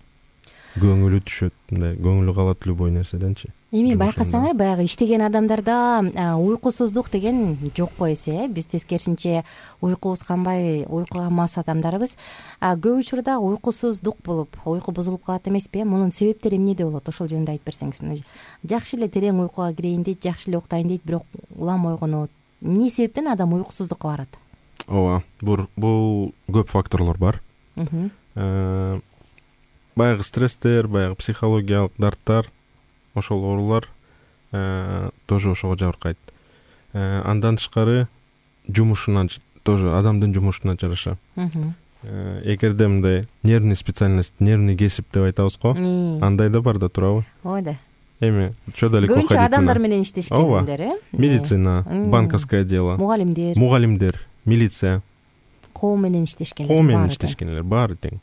[SPEAKER 5] көңүлү түшөт, мындай көңүлү калат любой нерседенчи.
[SPEAKER 2] Эми байкасаңар, баягы иштеген адамдарда уйкусуздук деген жокко эсе, э биз тескерисинче уйкубуз канбай, уйкуга мас адамдарбыз. Көп учурда уйкусуздук болуп, уйку бузулуп калат эмеспи? Мунун себептери эмнеде болот? Ошол жөнүндө айтып берсеңиз. Жакшы эле терең уйкуга кирейин дейт, жакшы эле уктайын дейт, бирок улам ойгонот. Эмне себептен адам уйкусуздукка барат?
[SPEAKER 5] Ооба, бул көп факторлор бар. Баягы стресстер, баягы психологиялык дарттар, ошол оорулар тоже ошого жабыркайт. Андан тышкары жумушуна тоже, адамдын жумушуна жараша. Эгерде мындай нервный специальность, нервный кесип деп айтабыз го, андай да бар да, туурабы?
[SPEAKER 2] Ооба да.
[SPEAKER 5] Эми чо далеко ходить?
[SPEAKER 2] Көбүнчө адамдар менен иштешкендер, э?
[SPEAKER 5] Медицина, банковское дело,
[SPEAKER 2] мугалимдер,
[SPEAKER 5] мугалимдер, милиция.
[SPEAKER 2] Коом менен иштешкендер.
[SPEAKER 5] Коом менен иштешкендер баары тең.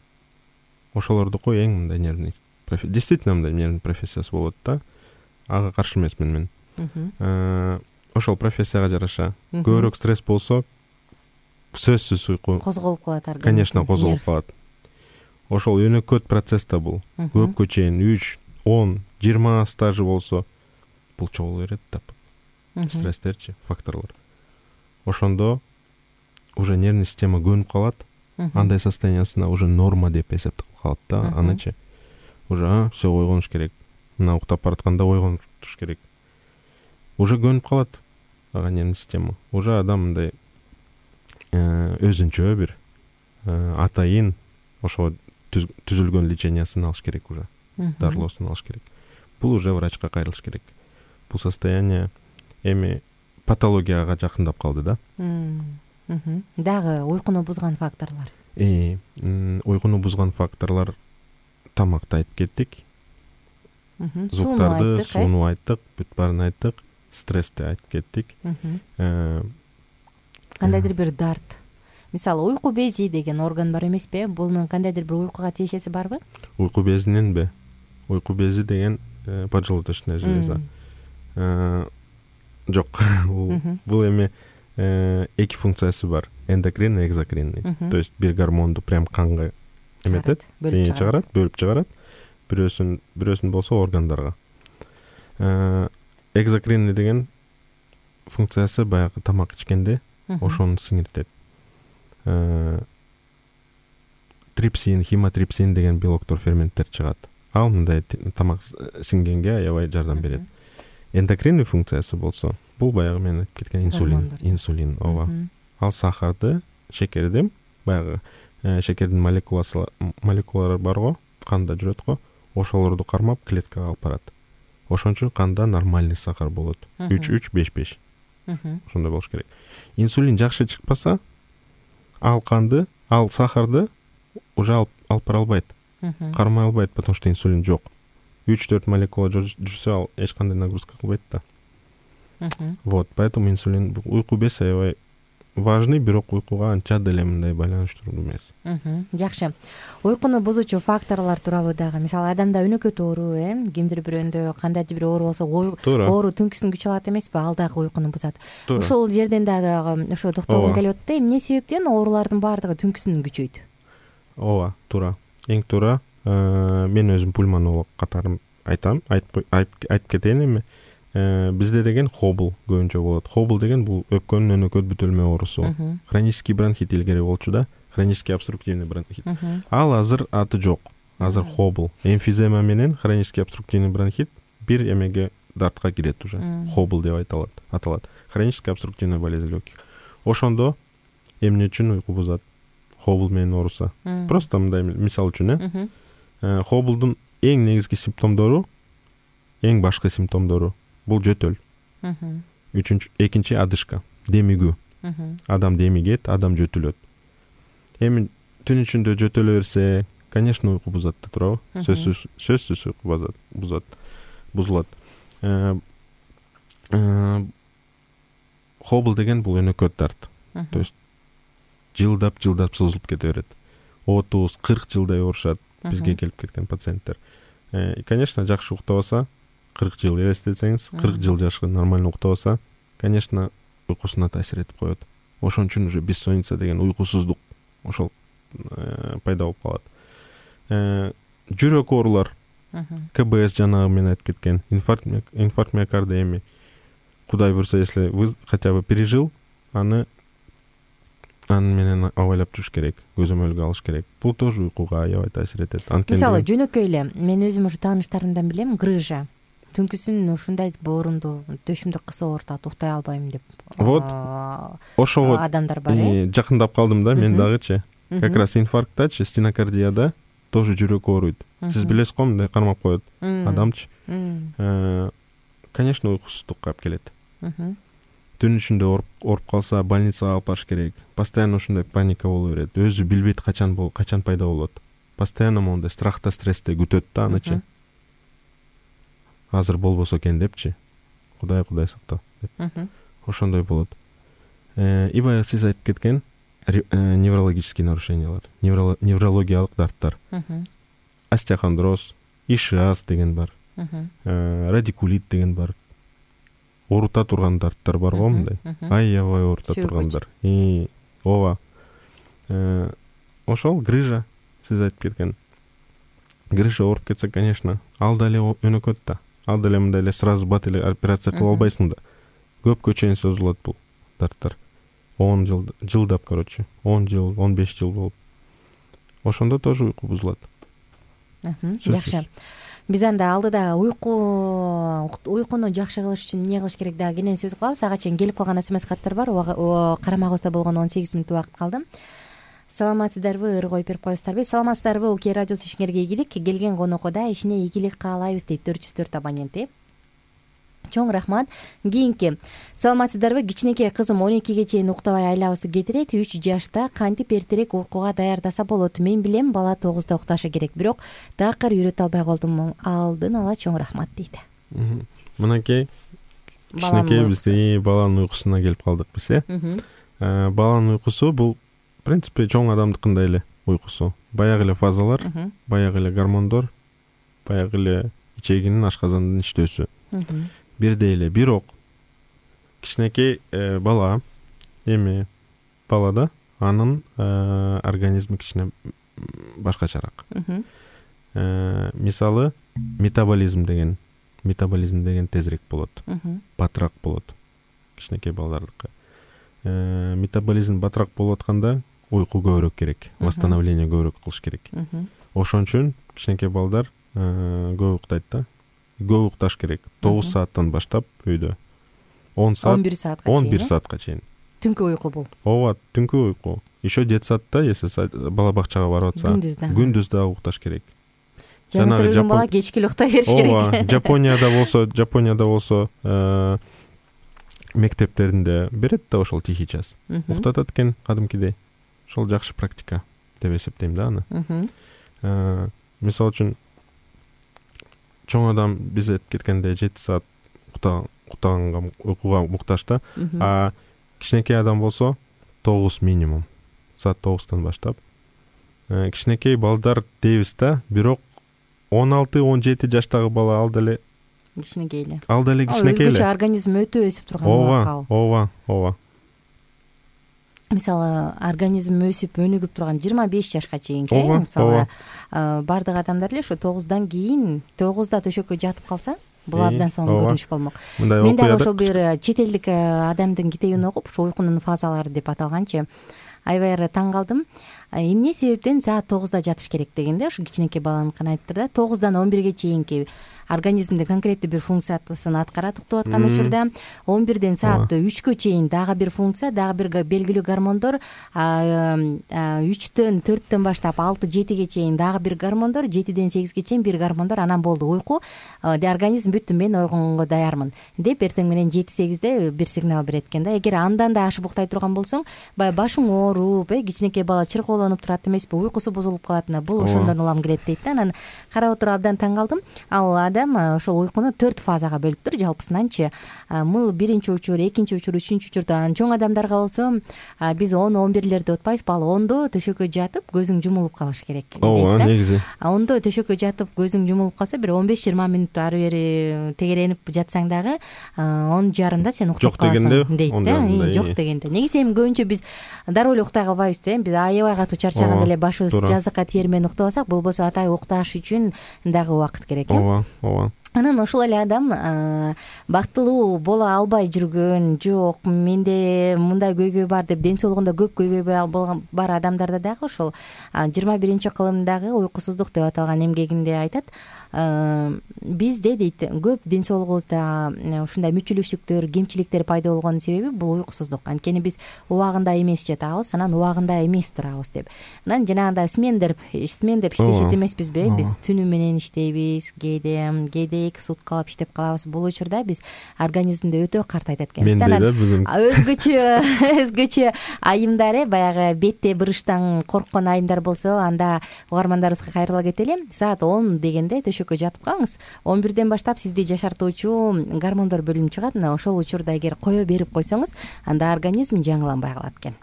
[SPEAKER 5] Ошолордуку эң мындай нервный профессия. Действительно мындай нервный профессиясы болот да. Ага каршы эмесмин мен. Ошол профессияга жараша көбүрөөк стресс болсо, сөзсүз уйку
[SPEAKER 2] козголуп калат организм.
[SPEAKER 5] Конечно, козголуп калат. Ошол өнөкөт процесс да бул. Көпкө чейин үч, он, жыйырма стажы болсо, бул чогулу берет да. Стресстерчи, факторлор. Ошондо уже нервный система көнүп калат. Андай состояниясына уже норма деп эсептелип калат да. Аначы уже все ойгонуш керек. Мына уктап баратканда ойгонуш керек. Уже көнүп калат ага нервный система. Уже адам мындай өзүнчө бир атайын ошо түзүлгөн лечениясын алыш керек уже. Дарылоосун алыш керек. Бул уже врачка кайрылыш керек. Бул состояние эми патологияга жакындап калды да.
[SPEAKER 2] Дагы уйкуну бузган факторлор.
[SPEAKER 5] Э, уйкуну бузган факторлор тамакты айтып кеттик. Звуктарды, сууну айттык, бүт баарын айттык, стрессти айтып кеттик.
[SPEAKER 2] Кандайдыр бир дарт. Мисалы, уйку бези деген орган бар эмеспи? Бунун кандайдыр бир уйкуга тиешеси барбы?
[SPEAKER 5] Уйку безиненби? Уйку бези деген поджелудочная железа. Жок, бул эми эки функциясы бар. Эндокринный, экзокринный. То есть бир гормонду прям канга эметет, чыгарат, бөлүп чыгарат. Бирөөсүн, бирөөсүн болсо органдарга. Экзокринный деген функциясы баягы тамак ичкенде ошону сиңиртет. Трипсин, химотрипсин деген белоктор, ферменттер чыгат. Ал мындай тамак сиңгенге аябай жардам берет. Эндокринный функциясы болсо, бул баягы мен айтып кеткен инсулин, инсулин, ооба. Ал сахарды, шекерди, баягы шекердин молекуласы, молекулалары бар го, канда жүрөт го, ошолорду кармап клеткага алып барат. Ошон үчүн канда нормальный сахар болот. үч үч беш беш. Ошондой болуш керек. Инсулин жакшы чыкпаса, ал канды, ал сахарды уже алып бара албайт. Кармай албайт, потому что инсулин жок. үч төрт молекула жүрсө, ал эч кандай нагрузка кылбайт да. Вот, поэтому инсулин, уйку без аябай важный, бирок уйкуга анча деле мындай байланыштуу эмес.
[SPEAKER 2] Жакшы. Уйкуну бузуучу факторлор тууралуу дагы, мисалы, адамда өнөкөт оору, э, кимдир бирөөндө кандайдыр бир оору болсо, оору түнкүсүн күч алат эмеспи? Ал дагы уйкуну бузат. Ошол жерден дагы ошо токтогум келип атты. Эмне себептен оорулардын баардыгы түнкүсүн күчөйт?
[SPEAKER 5] Ооба, туура. Эң туура. Мен өзүм пульмонолог катары айтам, айтып кетейин эми. Бизде деген хобл көбүнчө болот. Хобл деген бул өпкөнүн өнөкөт бүтөлмө оорусу. Хронический бронхит илгери болчу да, хронический обструктивный бронхит. Ал азыр аты жок. Азыр хобл. Эмфизема менен хронический обструктивный бронхит бир эмеге дартка кирет уже. Хобл деп айтылат, аталат. Хроническая обструктивная болезнь легких. Ошондо эмне үчүн уйку бузат? Хобл менен ооруса. Просто мындай мисал үчүн, э. Хоблдун эң негизги симптомдору, эң башкы симптомдору бул жөтөл. Үчүнчү, экинчи адышка, демигүү. Адам демигет, адам жөтүлөт. Эми түн ичинде жөтөлө берсе, конечно, уйку бузат да, туурабы? Сөзсүз, сөзсүз уйку бузат, бузат, бузулат. Хобл деген бул өнөкөт дарт. То есть жылдап, жылдап созулуп кете берет. отуз кырк жылдай оорушат бизге келип кеткен пациенттер. И, конечно, жакшы уктабаса, кырк жыл элестетсеңиз, кырк жыл жашаган нормально уктабаса, конечно, уйкусуна таасир этип коет. Ошон үчүн уже бессонница деген уйкусуздук ошол пайда болуп калат. Жүрөк оорулар, КБС жанагы мен айтып кеткен, инфаркт, инфаркт миокарда эми Кудай буйрса, если вы хотя бы пережил, аны аны менен абайлап жүрүш керек, көзөмөлгө алыш керек. Бул тоже уйкуга аябай таасир этет.
[SPEAKER 2] Мисалы, жөнөкөй эле мен өзүм ушу тааныштарымдан билем, грыжа. Түнкүсүн ушундай боорунду, төшүмдү кысып оорутат, уктай албайм деп.
[SPEAKER 5] Вот. Ошого
[SPEAKER 2] адамдар бар э.
[SPEAKER 5] Жакындап калдым да, мен дагычы. Как раз инфаркттачы, стенокардияда тоже жүрөк ооруйт. Сиз билесиз го, мындай кармап коет адамчы. Конечно, уйкусуздукка алып келет. Түн ичинде ооруп калса, больницага алып барыш керек. Постоянно ушундай паника боло берет. Өзү билбейт качан бол, качан пайда болот. Постоянно мондай страхта, стрессте күтөт да анычы. Азыр болбосо экен депчи. Кудай Кудай сактап деп. Ошондой болот. И баягы сиз айтып кеткен неврологический нарушениялар, неврологиялык дарттар. Остеохондроз, ишиаз деген бар. Радикулит деген бар. Оорута турган дарттар бар го мындай. Аябай оорута тургандар. И ооба. Ошол грыжа сиз айтып кеткен. Грыжа ооруп кетсе, конечно, ал деле өнөкөт да. Ал деле мындай эле сразу бат эле операция кыла албайсың да. Көпкө чейин созулат бул дарттар. он жыл, жылдап, короче, он жыл, он беш жыл болуп. Ошондо тоже уйку бузулат.
[SPEAKER 2] Жакшы. Биз анда алдыда уйку уйкуну жакшы кылыш үчүн эмне кылыш керек дагы кенен сөз кылабыз. Ага чейин келип калган смс каттар бар. Карамагыбызда болгону он сегиз мүнөт убакыт калды. Саламатсыздарбы, ыр коюп берип коесуздарбы? Саламатсыздарбы, Уке радиосу ишиңерге ийгилик. Келген конокко да ишине ийгилик каалайбыз дейт төрт жүз төрт абонент. Чоң рахмат. Кийинки. Саламатсыздарбы? Кичинекей кызым он экиге чейин уктабай айлабызды кетирет. үч жашта кантип эртерээк уйкуга даярдаса болот? Мен билем, бала тогузда укташы керек, бирок такыр үйрөтө албай калдым. Алдын ала чоң рахмат дейт.
[SPEAKER 5] Мынакей кичинекей бизде баланын уйкусуна келип калдык биз, э? Баланын уйкусу бул в принципе чоң адамдыкындай эле уйкусу. Баягы эле фазалар, баягы эле гормондор, баягы эле ичегинин, ашказандын иштөөсү. Бирдей эле, бирок кичинекей бала эми балада анын организми кичине башкачараак. Мисалы, метаболизм деген метаболизм деген тезирээк болот, батыраак болот кичинекей балдардыкы. Метаболизм батыраак болуп атканда уйку көбүрөөк керек, восстановление көбүрөөк кылыш керек. Ошон үчүн кичинекей балдар көп уктайт да. Көп укташ керек. тогуз сааттан баштап үйдө. он саат,
[SPEAKER 2] он бир саатка
[SPEAKER 5] чейин. он бир саатка чейин.
[SPEAKER 2] Түнкү уйку бул.
[SPEAKER 5] Ооба, түнкү уйку. Еще детсадда, если бала бакчага барып атса, күндүз да укташ керек.
[SPEAKER 2] Жанагы өлгөн бала кечки эле ukтай бериш керек.
[SPEAKER 5] Ооба, Жапонияда болсо, Жапонияда болсо, мектептеринде берет да ошол тихий час. Уктатат экен кадимкидей. Ошол жакшы практика деп эсептейм да аны. Мисалы үчүн чоң адам биз айтып кеткендей жети саат уктаганга уйкуга муктаж да. А кичинекей адам болсо тогуз минимум. Саат тогуздан баштап. Кичинекей балдар дейбиз да, бирок он алты он жети жаштагы бала ал деле
[SPEAKER 2] кичинекей эле.
[SPEAKER 5] Ал деле кичинекей эле.
[SPEAKER 2] Өзгөчө организм өтө өсүп турган убакыт.
[SPEAKER 5] Ооба, ооба.
[SPEAKER 2] Мисалы, организм өсүп, өнүгүп турган жыйырма беш жашка чейинки, мисалы, бардык адамдар эле ошо тогуздан кийин, тогузда төшөккө жатып калса, бул абдан соң көрүнүш болмок. Мен дагы ошол бир чет элдик адамдын китебин окуп, ушу уйкунун фазалары деп аталганчы, аябай эле таң калдым. Эмне себептен саат тогузда жатыш керек дегенде, ушу кичинекей баланыкын айтты да, тогуздан он бирге чейинки организмде конкреттүү бир функциясын аткарат уктап аткан учурда, он бирден саат үчкө чейин дагы бир функция, дагы бир белгилүү гормондор, үчтөн төрттөн баштап алты жетиге чейин дагы бир гормондор, жетиден сегизге чейин бир гормондор, анан болду уйку, организм бүттү, мен ойгонго даярмын деп эртең менен жети сегизде бир сигнал берет экен да. Эгер андан да ашып уктай турган болсоң, баягы башың ооруп, кичинекей бала чыркоолонуп турат эмеспи, уйкусу бузулуп калат. Бул ошондон улам келет дейт да. Анан карап отуруп абдан таң калдым. Ал адам ошол уйкуну төрт фазага бөлүптүр жалпысынанчы. Мыл биринчи учур, экинчи учур, үчүнчү учурда. Чоң адамдарга болсо биз он он бирлерде утпайбызбы, ал ондо төшөккө жатып көзүң жумулуп калыш керек.
[SPEAKER 5] Ооба, негизи.
[SPEAKER 2] А ондо төшөккө жатып көзүң жумулуп калса бир он беш жыйырма мүнөт ары бери тегеренип жатсаң дагы он жарымда сен уктап каласың дейт да. Жок дегенде. Негизи эми көбүнчө биз дароо эле уктай калбайбыз да. Биз аябай катуу чарчаганда эле башыбыз жазыкка тиер менен уктап алсак, болбосо атайын укташ үчүн дагы убакыт керек э.
[SPEAKER 5] Ооба, ооба.
[SPEAKER 2] Анан ошол эле адам бактылуу боло албай жүргөн, жок менде мындай көйгөй бар деп ден соолугунда көп көйгөй бар адамдарда дагы ошол жыйырма биринчи кылымдагы уйкусуздук деп аталган эмгегинде айтат. Бизде дейт көп ден соолугубузда ушундай мүчүлүштүктөр, кемчиликтер пайда болгонун себеби бул уйкусуздук. Анткени биз убагында эмес жатабыз, анан убагында эмес турабыз деп. Анан жанагындай смен деп смен деп иштешет эмеспизби? Биз түнү менен иштейбиз, кээде кээде эки суткалап иштеп калабыз. Бул учурда биз организмди өтө картайтат экенбиз.
[SPEAKER 5] Менде
[SPEAKER 2] өзгөчө өзгөчө айымдар э баягы бетте бырыштан корккон айымдар болсо, анда угармандарыбызга кайрыла кетели. Саат он дегенде төшөккө жатып калыңыз. он бирден баштап сизди жашартуучу гормондор бөлүнүп чыгат. Мына ошол учурда эгер кое берип койсоңуз, анда организм жаңыланбай калат экен.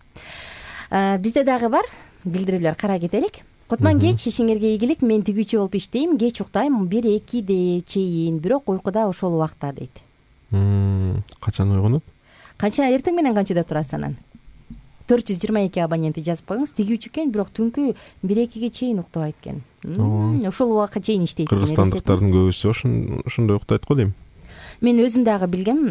[SPEAKER 2] Бизде дагы бар билдирүүлөр, кара кетелик. Кутман кеч, ишиңерге ийгилик. Мен тигүүчү болуп иштейм, кеч уктайм, бир экиде чейин, бирок уйкуда ошол убакта дейт.
[SPEAKER 5] Качан ойгонот?
[SPEAKER 2] Канча эртең менен канчада турасыз анан? төрт жүз жыйырма эки абонентти жазып коюңуз. Тигүүчү экен, бирок түнкү бир экиге чейин уктабайт экен. Ошол убакка чейин иштейт.
[SPEAKER 5] Кыргызстандыктардын көбүсү ошондой уктайт го дейм.
[SPEAKER 2] Мен өзүм дагы билгем,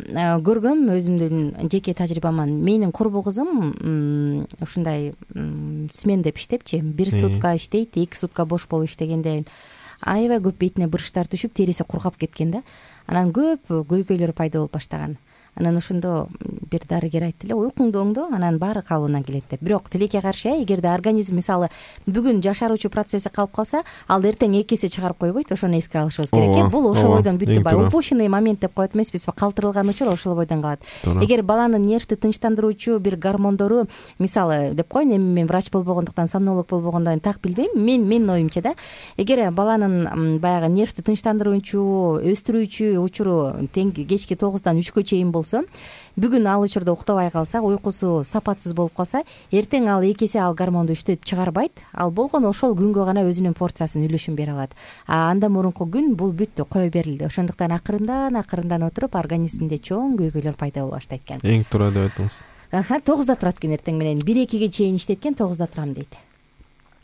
[SPEAKER 2] көргөм, өзүмдүн жеке тажрыйбаман. Менин курбу кызым ушундай смен деп иштепчи, бир сутка иштейт, эки сутка бош болуп иштегенде аябай көп бетине бырыштар түшүп, териси кургап кеткен да. Анан көп көйгөйлөр пайда болуп баштаган. Анан ошондо бир дарыгер айтты эле, уйкуңду оңдо, анан баары калыбынан келет деп. Бирок тилекке каршы, эгерде организм мисалы бүгүн жашаруучу процесси калып калса, ал эртең эки эсе чыгарып койбойт, ошону эске алышыбыз керек э. Бул ошол бойдон бүттү, бай упущенный момент деп коет эмеспизби, калтырылган учур ошол бойдон калат. Эгер баланын нервти тынчтандыруучу бир гормондору, мисалы деп коеюн, эми мен врач болбогондуктан, сомнолог болбогондон так билбейм, мен менин оюмча да, эгер баланын баягы нервти тынчтандыруучу, өстүрүүчү учуру тең кечки тогуздан үчкө чейин болсо, бүгүн ал учурда уктабай калса, уйкусу сапатсыз болуп калса, эртең ал эки эсе ал гормонду иштетип чыгарбайт. Ал болгону ошол күнгө гана өзүнүн порциясын, үлүшүн бере алат. А андан мурунку күн бул бүттү, кое берилди. Ошондуктан акырындан акырындан отуруп организмде чоң көйгөйлөр пайда боло баштайт экен.
[SPEAKER 5] Эң тура деп айтыңыз.
[SPEAKER 2] Аха, тогузда турат экен эртең менен. бир экиге чейин иштеткен, тогузда турам дейт.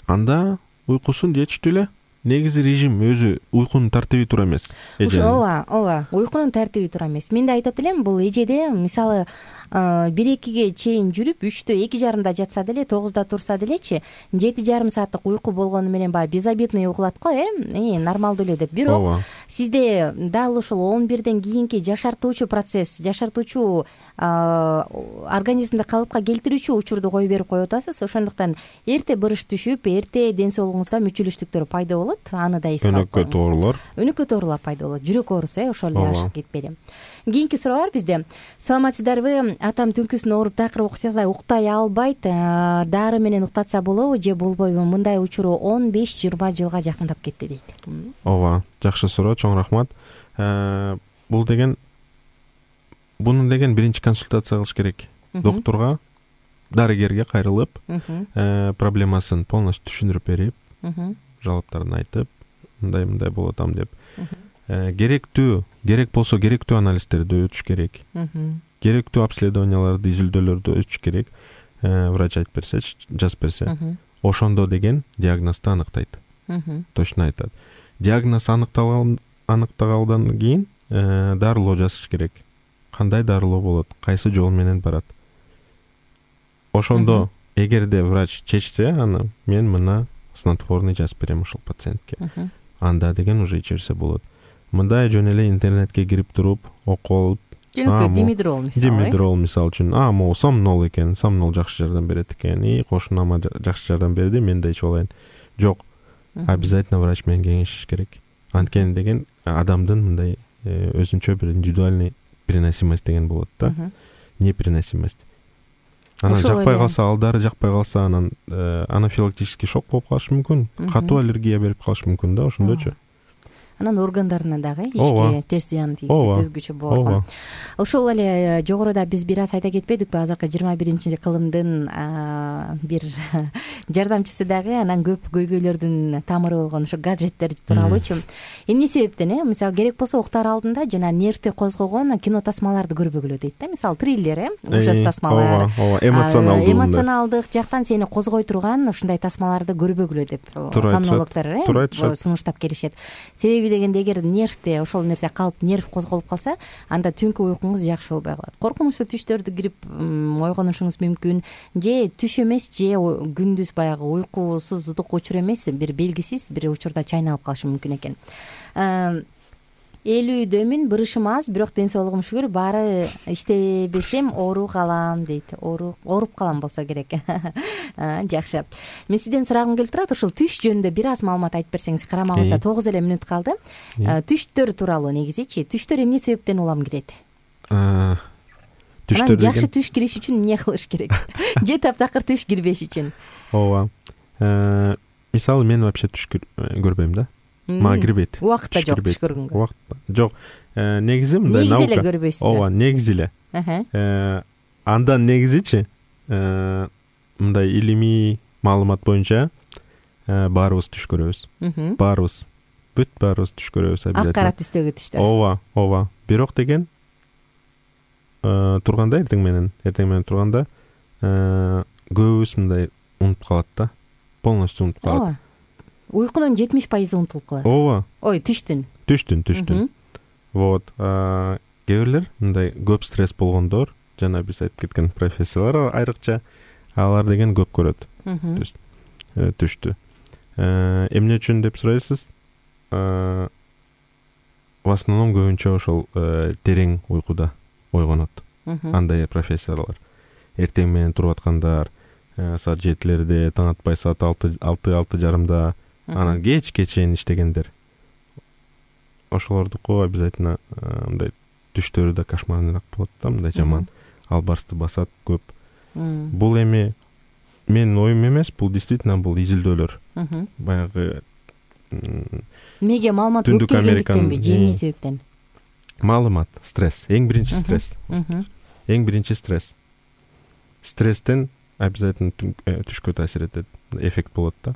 [SPEAKER 5] Анда уйкусун жетиштүү эле. Негизи режим өзү уйкунун тартиби туура эмес.
[SPEAKER 2] Ооба, ооба, уйкунун тартиби туура эмес. Мен да айтат элем, бул эжеде мисалы бир экиге чейин жүрүп, үчтө эки жарымда жатса деле, тогузда турса делечи, жети жарым сааттык уйку болгону менен баягы безобидный угулат го, э, э, нормалдуу эле деп. Бирок сизде дал ушул он бирден кийинки жашартуучу процесс, жашартуучу организмди калыпка келтирүүчү учурду кое берип коюп атасыз. Ошондуктан эрте бырыш түшүп, эрте ден соолугуңузда мүчүлүштүктөр пайда болот. Аны да эске алып коюңуз. Өнөкөт оорулар. Өнөкөт оорулар пайда болот. Жүрөк ооруусу, э, ошол эле ашык кетпели. Кийинки суроо бар бизде. Саламатсыздарбы? Атам түнкүсүн ооруп, такыр уктай уктай албайт. Дары менен уктатса болобу же болбойбу? Мындай учуру он беш жыйырма жылга жакындап кетти дейт.
[SPEAKER 5] Ооба, жакшы суроо, чоң рахмат. Бул деген буну деген биринчи консультация кылыш керек. Доктурга, дарыгерге кайрылып, проблемасын полностью түшүндүрүп берип, жалаптарын айтып, мындай-мындай болуп атам деп. Керектүү, керек болсо керектүү анализдерди өтүш керек. Керектүү обследованияларды, изилдөөлөрдү өтүш керек. Врач айтып берсе, жазып берсе, ошондо деген диагнозду аныктайт. Точно айтат. Диагноз аныктагандан кийин дарылоо жасаш керек. Кандай дарылоо болот, кайсы жол менен барат. Ошондо эгерде врач чечсе, аны мен мына снотворный жазып берем ушул пациентке. Анда деген уже ичерсе болот. Мындай жөн эле интернетке кирип туруп, окуп алып,
[SPEAKER 2] димедрол мисалы.
[SPEAKER 5] Димедрол мисалы үчүн, а, могу сомнол экен, сомнол жакшы жардам берет экен. И кошунама жакшы жардам берди, мен да ичип алайын. Жок. Обязательно врач менен кеңешиш керек. Анткени деген адамдын мындай өзүнчө бир индивидуальный переносимость деген болот да. Непереносимость. Анан жакпай калса, алдары жакпай калса, анан анафилактический шок болуп калышы мүмкүн. Катуу аллергия берип калышы мүмкүн да, ошондочу.
[SPEAKER 2] анан органдарына дагы
[SPEAKER 5] Ооба.
[SPEAKER 2] ички терс зыян тийгизет
[SPEAKER 5] Ооба.
[SPEAKER 2] өзгөчө боорго.
[SPEAKER 5] Ооба.
[SPEAKER 2] Ошол эле жогоруда биз бир аз айта кетпедикпи, азыркы жыйырма биринчи кылымдын а, бир жардамчысы дагы, анан көп көйгөйлөрдүн тамыры болгон ошо гаджеттер тууралуучу. Эмне себептен э мисалы керек болсо уктаар алдында жана нервти козгогон кино тасмаларды көрбөгүлө дейт да. Мисалы триллер, э ужас тасмалар,
[SPEAKER 5] Ооба, ооба, эмоционалдуу.
[SPEAKER 2] эмоционалдык жактан сени козгой турган ушундай тасмаларды көрбөгүлө деп сомнологдор э
[SPEAKER 5] туура айтышат.
[SPEAKER 2] сунуштап келишет. Себеби дегенде эгер нервте ошол нерсе калып, нерв козголуп калса, анда түнкү уйкуңуз жакшы болбой калат. Коркунучтуу түштөрдү кирип ойгонушуңуз мүмкүн, же түш эмес, же күндүз баягы уйкусуздук учур эмес, бир белгисиз бир учурда чайналып калышы мүмкүн экен. элүүдөмүн, бырышым аз, бирок ден соолугум шүгүр, баары иштебесем оору калам дейт. Ооруп ооруп калам болсо керек. Жакшы. Мен сизден сурагым келип турат, ушул түш жөнүндө бир аз маалымат айтып берсеңиз. Карамагыбызда тогуз эле мүнөт калды. Түштөр тууралуу негизичи, түштөр эмне себептен улам кирет?
[SPEAKER 5] Түштөр деген
[SPEAKER 2] жакшы түш кириш үчүн эмне кылыш керек? Же таптакыр түш кирбеш үчүн?
[SPEAKER 5] Ооба. Мисалы мен вообще түш көрбөйм да. Мага кирбейт.
[SPEAKER 2] Убакытта жок түш көргөнгө.
[SPEAKER 5] Убакытта жок. Негизи мындай
[SPEAKER 2] наука. Негизи эле
[SPEAKER 5] наука.
[SPEAKER 2] көрбөйсүз.
[SPEAKER 5] Ооба, негизи эле. Андан негизичи мындай илимий маалымат боюнча баарыбыз түш көрөбүз. Баарыбыз, бүт баарыбыз түш көрөбүз обязательно.
[SPEAKER 2] Ак кара түстөгү түштөр.
[SPEAKER 5] Ооба, ооба. Бирок деген турганда эртең менен, эртең менен турганда көбүбүз мындай унутуп калат да. Полностью унутуп калат.
[SPEAKER 2] Ооба. Уйкунун жетимиш пайызы унутулуп калат.
[SPEAKER 5] Ооба.
[SPEAKER 2] Ой, түштүн.
[SPEAKER 5] Түштүн, түштүн. Вот. Кээ бирлер мындай көп стресс болгондор, жана биз айтып кеткен профессиялар айрыкча, алар деген көп көрөт. Түштү. Эмне үчүн деп сурайсыз? В основном көбүнчө ошол терең уйкуда ойгонот. Андай профессиялар. Эртең менен туруп аткандар, саат жетилерде, таң атпай саат алты, алты жарымда, анан кечке чейин иштегендер. Ошолордуку обязательно мындай түштөрү да кошмарныраак болот да, мындай жаман. Албарсты басат көп. Бул эми менин оюм эмес, бул действительно бул изилдөөлөр. Баягы
[SPEAKER 2] Эмнеге маалымат көп келгендиктенби, же эмне себептен?
[SPEAKER 5] Маалымат, стресс, эң биринчи стресс. Эң биринчи стресс. Стресстен обязательно түшкө таасир этет, эффект болот да.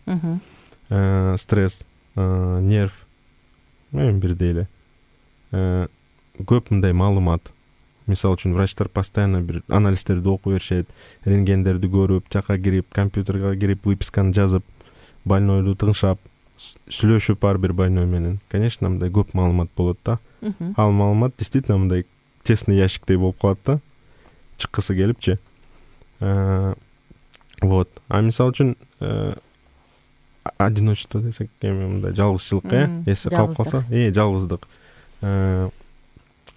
[SPEAKER 5] Стресс, нерв, эми бирдей эле. Көп мындай маалымат. Мисалы үчүн врачтар постоянно бир анализдерди окуп беришет, рентгендерди көрүп, жака кирип, компьютерге кирип, выписканы жазып, больнойду тыңшап, сүйлөшүп ар бир больной менен. Конечно, мындай көп маалымат болот да. Ал маалымат действительно мындай тесный ящиктей болуп калат да. Чыккысы келипчи. Вот. А мисалы үчүн одиночество десек, эми мындай жалгызчылык, э, эси калып калса, э, жалгыздык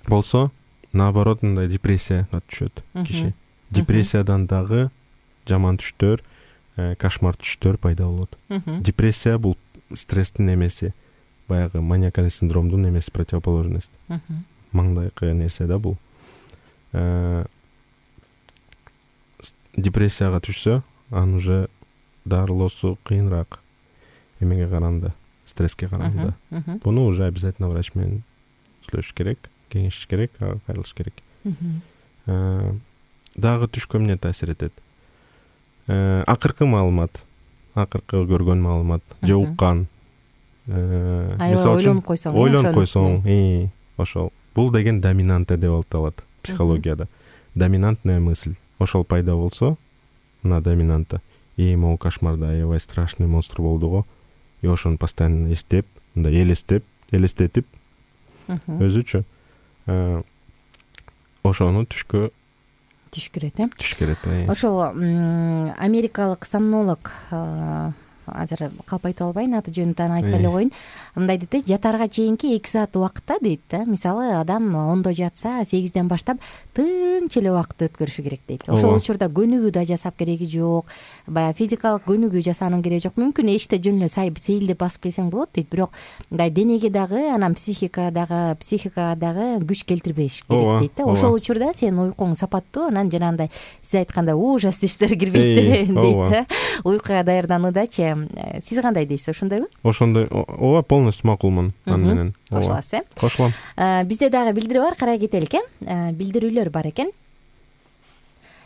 [SPEAKER 5] болсо, наоборот, мындай депрессияга түшөт киши. Депрессиядан дагы жаман түштөр, кошмар түштөр пайда болот. Депрессия бул стресстин эмеси, баягы маниакальный синдромдун эмеси, противоположность. Маңдайкы нерсе да бул. Депрессияга түшсө, анын уже дарылоосу кыйыныраак. Эмеге караганда, стресске караганда. Буну уже обязательно врач менен сүйлөшүш керек, кеңешиш керек, кайрылыш керек. Дагы түшкө эмне таасир этет? Акыркы маалымат, акыркы көргөн маалымат, же уккан.
[SPEAKER 2] Аябай ойлонуп койсоң,
[SPEAKER 5] ойлонуп койсоң, ошол. Бул деген доминанта деп аталат психологияда. Доминантная мысль. Ошол пайда болсо, мына доминанта, и могу кошмарда аябай страшный монстр болду го. И ошону постоянно эстеп, мындай элестеп, элестетип өзүчө ошону түшкө
[SPEAKER 2] түш керет, э?
[SPEAKER 5] Түш керет, э.
[SPEAKER 2] Ошол америкалык сомнолог, азыр калп айта албайм, аты жөнүн тааны айтпай эле коеюн. Мындай дейт, жатаарга чейинки эки саат убакытта дейт да. Мисалы, адам ондо жатса, сегизден баштап тынч эле убакыт өткөрүшү керек дейт. Ошол учурда көнүгүү да жасап кереги жок, баягы физикалык көнүгүү жасаанын кереги жок. Мүмкүн эшикте жөн эле сейилдеп басып келсең болот дейт, бирок мындай денеге дагы, анан психикага дагы, психикага дагы күч келтирбеш керек дейт да. Ошол учурда сенин уйкуң сапаттуу, анан жанагындай сиз айткандай ужас түштөр кирбейт дейт да. Уйкуга даярдануудачы э, сиз кандай дейсиз, ошондойбу?
[SPEAKER 5] Ошондой, ооба, полностью макулмун аны менен.
[SPEAKER 2] Кошуласыз, э?
[SPEAKER 5] Кошулам.
[SPEAKER 2] Бизде дагы билдирүү бар, карай кетелик, э? Билдирүүлөр бар экен.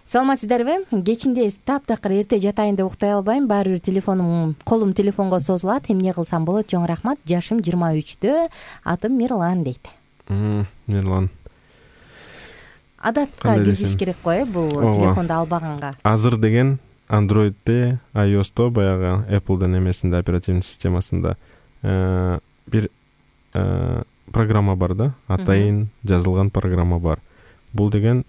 [SPEAKER 2] Саламатсыздарбы? Кечинде таптакыр эрте жатайын деп уктай албайм, баары бир телефонум, колум телефонго созулат. Эмне кылсам болот? Чоң рахмат. Жашым жыйырма үчтө, атым Мирлан дейт.
[SPEAKER 5] Мирлан.
[SPEAKER 2] Адатка киргизиш керек го, э, бул телефонду албаганга.
[SPEAKER 5] Азыр деген Android'де, iOS'то, баягы Apple'дын эмесинде, оперативный системасында бир программа бар да, атайын жазылган программа бар. Бул деген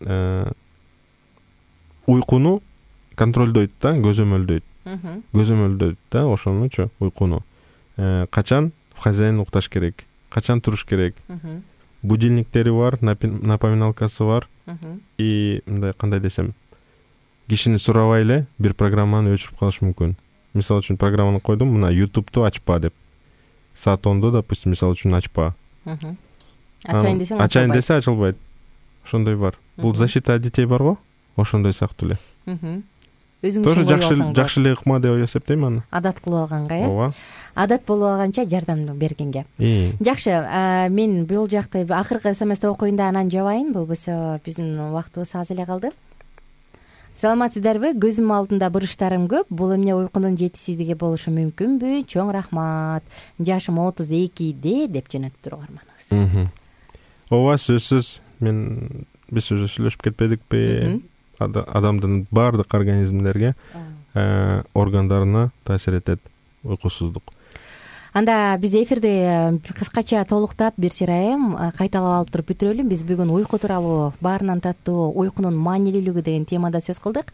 [SPEAKER 5] уйкуну контролдойт да, көзөмөлдөйт. Көзөмөлдөйт да, ошонучу уйкуну. Качан хозяин укташ керек, качан туруш керек. Будильниктери бар, напоминалкасы бар. И мындай кандай десем, кишини сурабай эле бир программаны өчүрүп калыш мүмкүн. Мисалы үчүн программаны койдум, мына YouTube'ду ачпа деп. Саат ондо, допустим, мисалы үчүн ачпа.
[SPEAKER 2] Ачайын десең,
[SPEAKER 5] ачайын десе ачылбайт. Ошондой бар. Бул защита детей бар го? Ошондой сыяктуу эле. Өзүң тоже жакшы жакшы эле ыкма деп эсептейм аны.
[SPEAKER 2] Адат кылып алганга, э?
[SPEAKER 5] Ооба.
[SPEAKER 2] Адат болуп алганча жардам бергенге. Жакшы, мен бул жакты акыркы смсти окуйн да анан жабайын. Болбосо биздин убактыбыз аз эле калды. Саламатсыздарбы? Көзүм алдында буручтарым көп. Бул эмне уйкунун жетишсиздиги болушу мүмкүнбү? Чоң рахмат. Жашым отуз экиде деп жөнөттү угарманыбыз.
[SPEAKER 5] Ооба, сөзсүз. Мен биз уже сүйлөшүп кетпедикпи? Адамдын баардык организмдерге, органдарына таасир этет уйкусуздук.
[SPEAKER 2] Анда биз эфирди кыскача толуктап бир сирайым кайталап алып туруп бүтүрөлү. Биз бүгүн уйку тууралуу, баарынан таттуу уйкунун маанилүүлүгү деген темада сөз кылдык.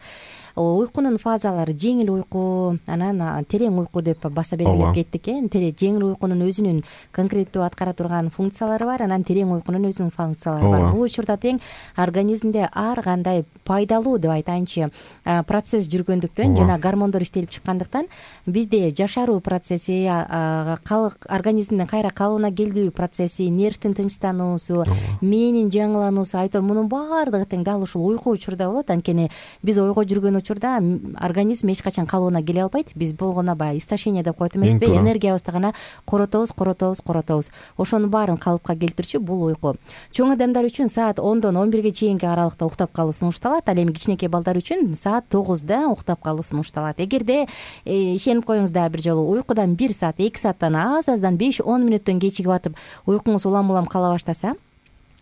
[SPEAKER 2] Уйкунун фазалары жеңил уйку, анан терең уйку деп баса белгилеп кеттик, э. Жеңил уйкунун өзүнүн конкреттүү аткара турган функциялары бар, анан терең уйкунун өзүнүн функциялары бар. Бул учурда тең организмде ар кандай пайдалуу деп айтайынчы процесс жүргөндүктөн жана гормондор иштелип чыккандыктан бизде жашаруу процесси, организмдин кайра калыбына келүү процесси, нервдин тынчтануусу, мээнин жаңылануусу, айтор мунун баардыгы тең дал ушул уйку учурда болот. Анткени биз ойго жүргөн учурда организм эч качан калыбына келе албайт. Биз болгоно баягы истощение деп коет эмеспи? Энергиябызды гана коротобуз, коротобуз, коротобуз. Ошонун баарын калыпка келтирчү бул уйку. Чоң адамдар үчүн саат ондон он бирге чейинки аралыкта уктап калуу сунушталат. Ал эми кичинекей балдар үчүн саат тогузда уктап калуу сунушталат. Эгерде ишенип коюңуз да бир жолу уйкудан бир саат, эки сааттан аз аздан беш он мүнөттөн кечигип атып уйкуңуз улам-улам кала баштаса,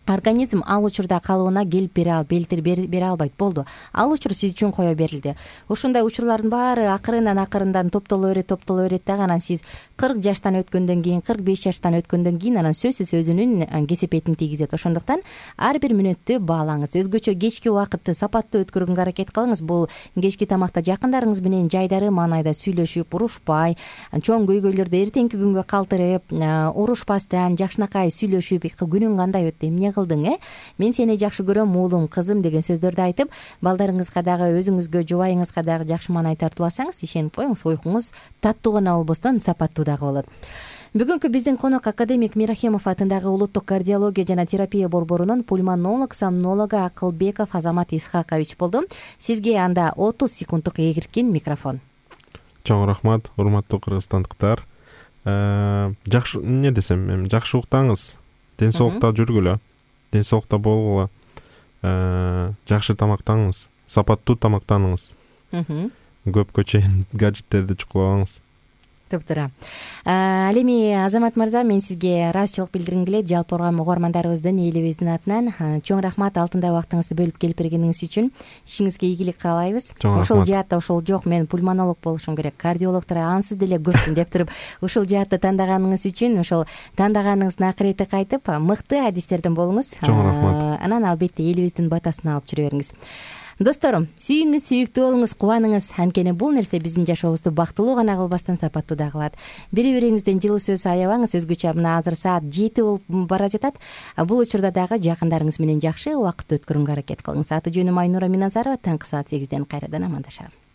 [SPEAKER 2] организм ал учурда калыбына келип бере ал белтир бере албайт. Болду. Ал учур сиз үчүн кое берилди. Ушундай учурлардын баары акырындан акырындан топтоло берет, топтоло берет дагы анан сиз кырк жаштан өткөндөн кийин, кырк беш жаштан өткөндөн кийин анан сөзсүз өзүнүн кесепетин тийгизет. Ошондуктан ар бир мүнөттү баалаңыз. Өзгөчө кечки убакытты сапаттуу өткөргөнгө аракет кылыңыз. Бул кечки тамакта жакындарыңыз менен жайдары маанайда сүйлөшүп, урушпай, чоң көйгөйлөрдү эртеңки күнгө калтырып, урушпастан жакшынакай сүйлөшүп, күнүң кандай өттү, эмне кылдың, э? Мен сени жакшы көрөм, уулум, кызым деген сөздөрдү айтып, балдарыңызга дагы, өзүңүзгө, жубайыңызга дагы жакшы маанай тартууласаңыз, ишенип коюңуз, уйкуңуз таттуу гана болбостон сапаттуу дагы болот. Бүгүнкү биздин конок академик Мирахемов атындагы улуттук кардиология жана терапия борборунун пульмонолог, сомнологу Акылбеков Азамат Исхакович болду. Сизге анда отуз секунддук эгиркин микрофон.
[SPEAKER 5] Чоң рахмат, урматтуу кыргызстандыктар. Жакшы, эмне десем, эми жакшы уктаңыз, ден соолукта жүргүлө, ден соолукта болгула, жакшы тамактаныңыз, сапаттуу тамактаныңыз. Көпкө чейин гаджеттерди чукулабаңыз.
[SPEAKER 2] Топтура. Ал эми Азамат мырза, мен сизге ыраазычылык билдиргим келет жалпы угармандарыбыздын, элибиздин атынан. Чоң рахмат алтындай убактыңызды бөлүп келип бергениңиз үчүн. Ишиңизге ийгилик каалайбыз. Ошол жаатта ошол жок, мен пульмонолог болушум керек, кардиологдор ансыз деле көпмүн деп туруп, ушул жаатты тандаганыңыз үчүн, ошол тандаганыңыздын акырети кайтып, мыкты адистерден болуңуз.
[SPEAKER 5] Чоң рахмат.
[SPEAKER 2] Анан албетте элибиздин батасын алып жүрө бериңиз. Досторум, сүйүңүз, сүйүктүү болуңуз, кубаныңыз. Анткени бул нерсе биздин жашообузду бактылуу гана кылбастан сапаттуу да кылат. Бири-бириңизден жылуу сөз аябаңыз. Өзгөчө мына азыр саат жети болуп бара жатат. Бул учурда дагы жакындарыңыз менен жакшы убакыт өткөргөнгө аракет кылыңыз. Аты жөнүм Айнура Миназарова. Таңкы саат сегизден кайрадан амандашабыз.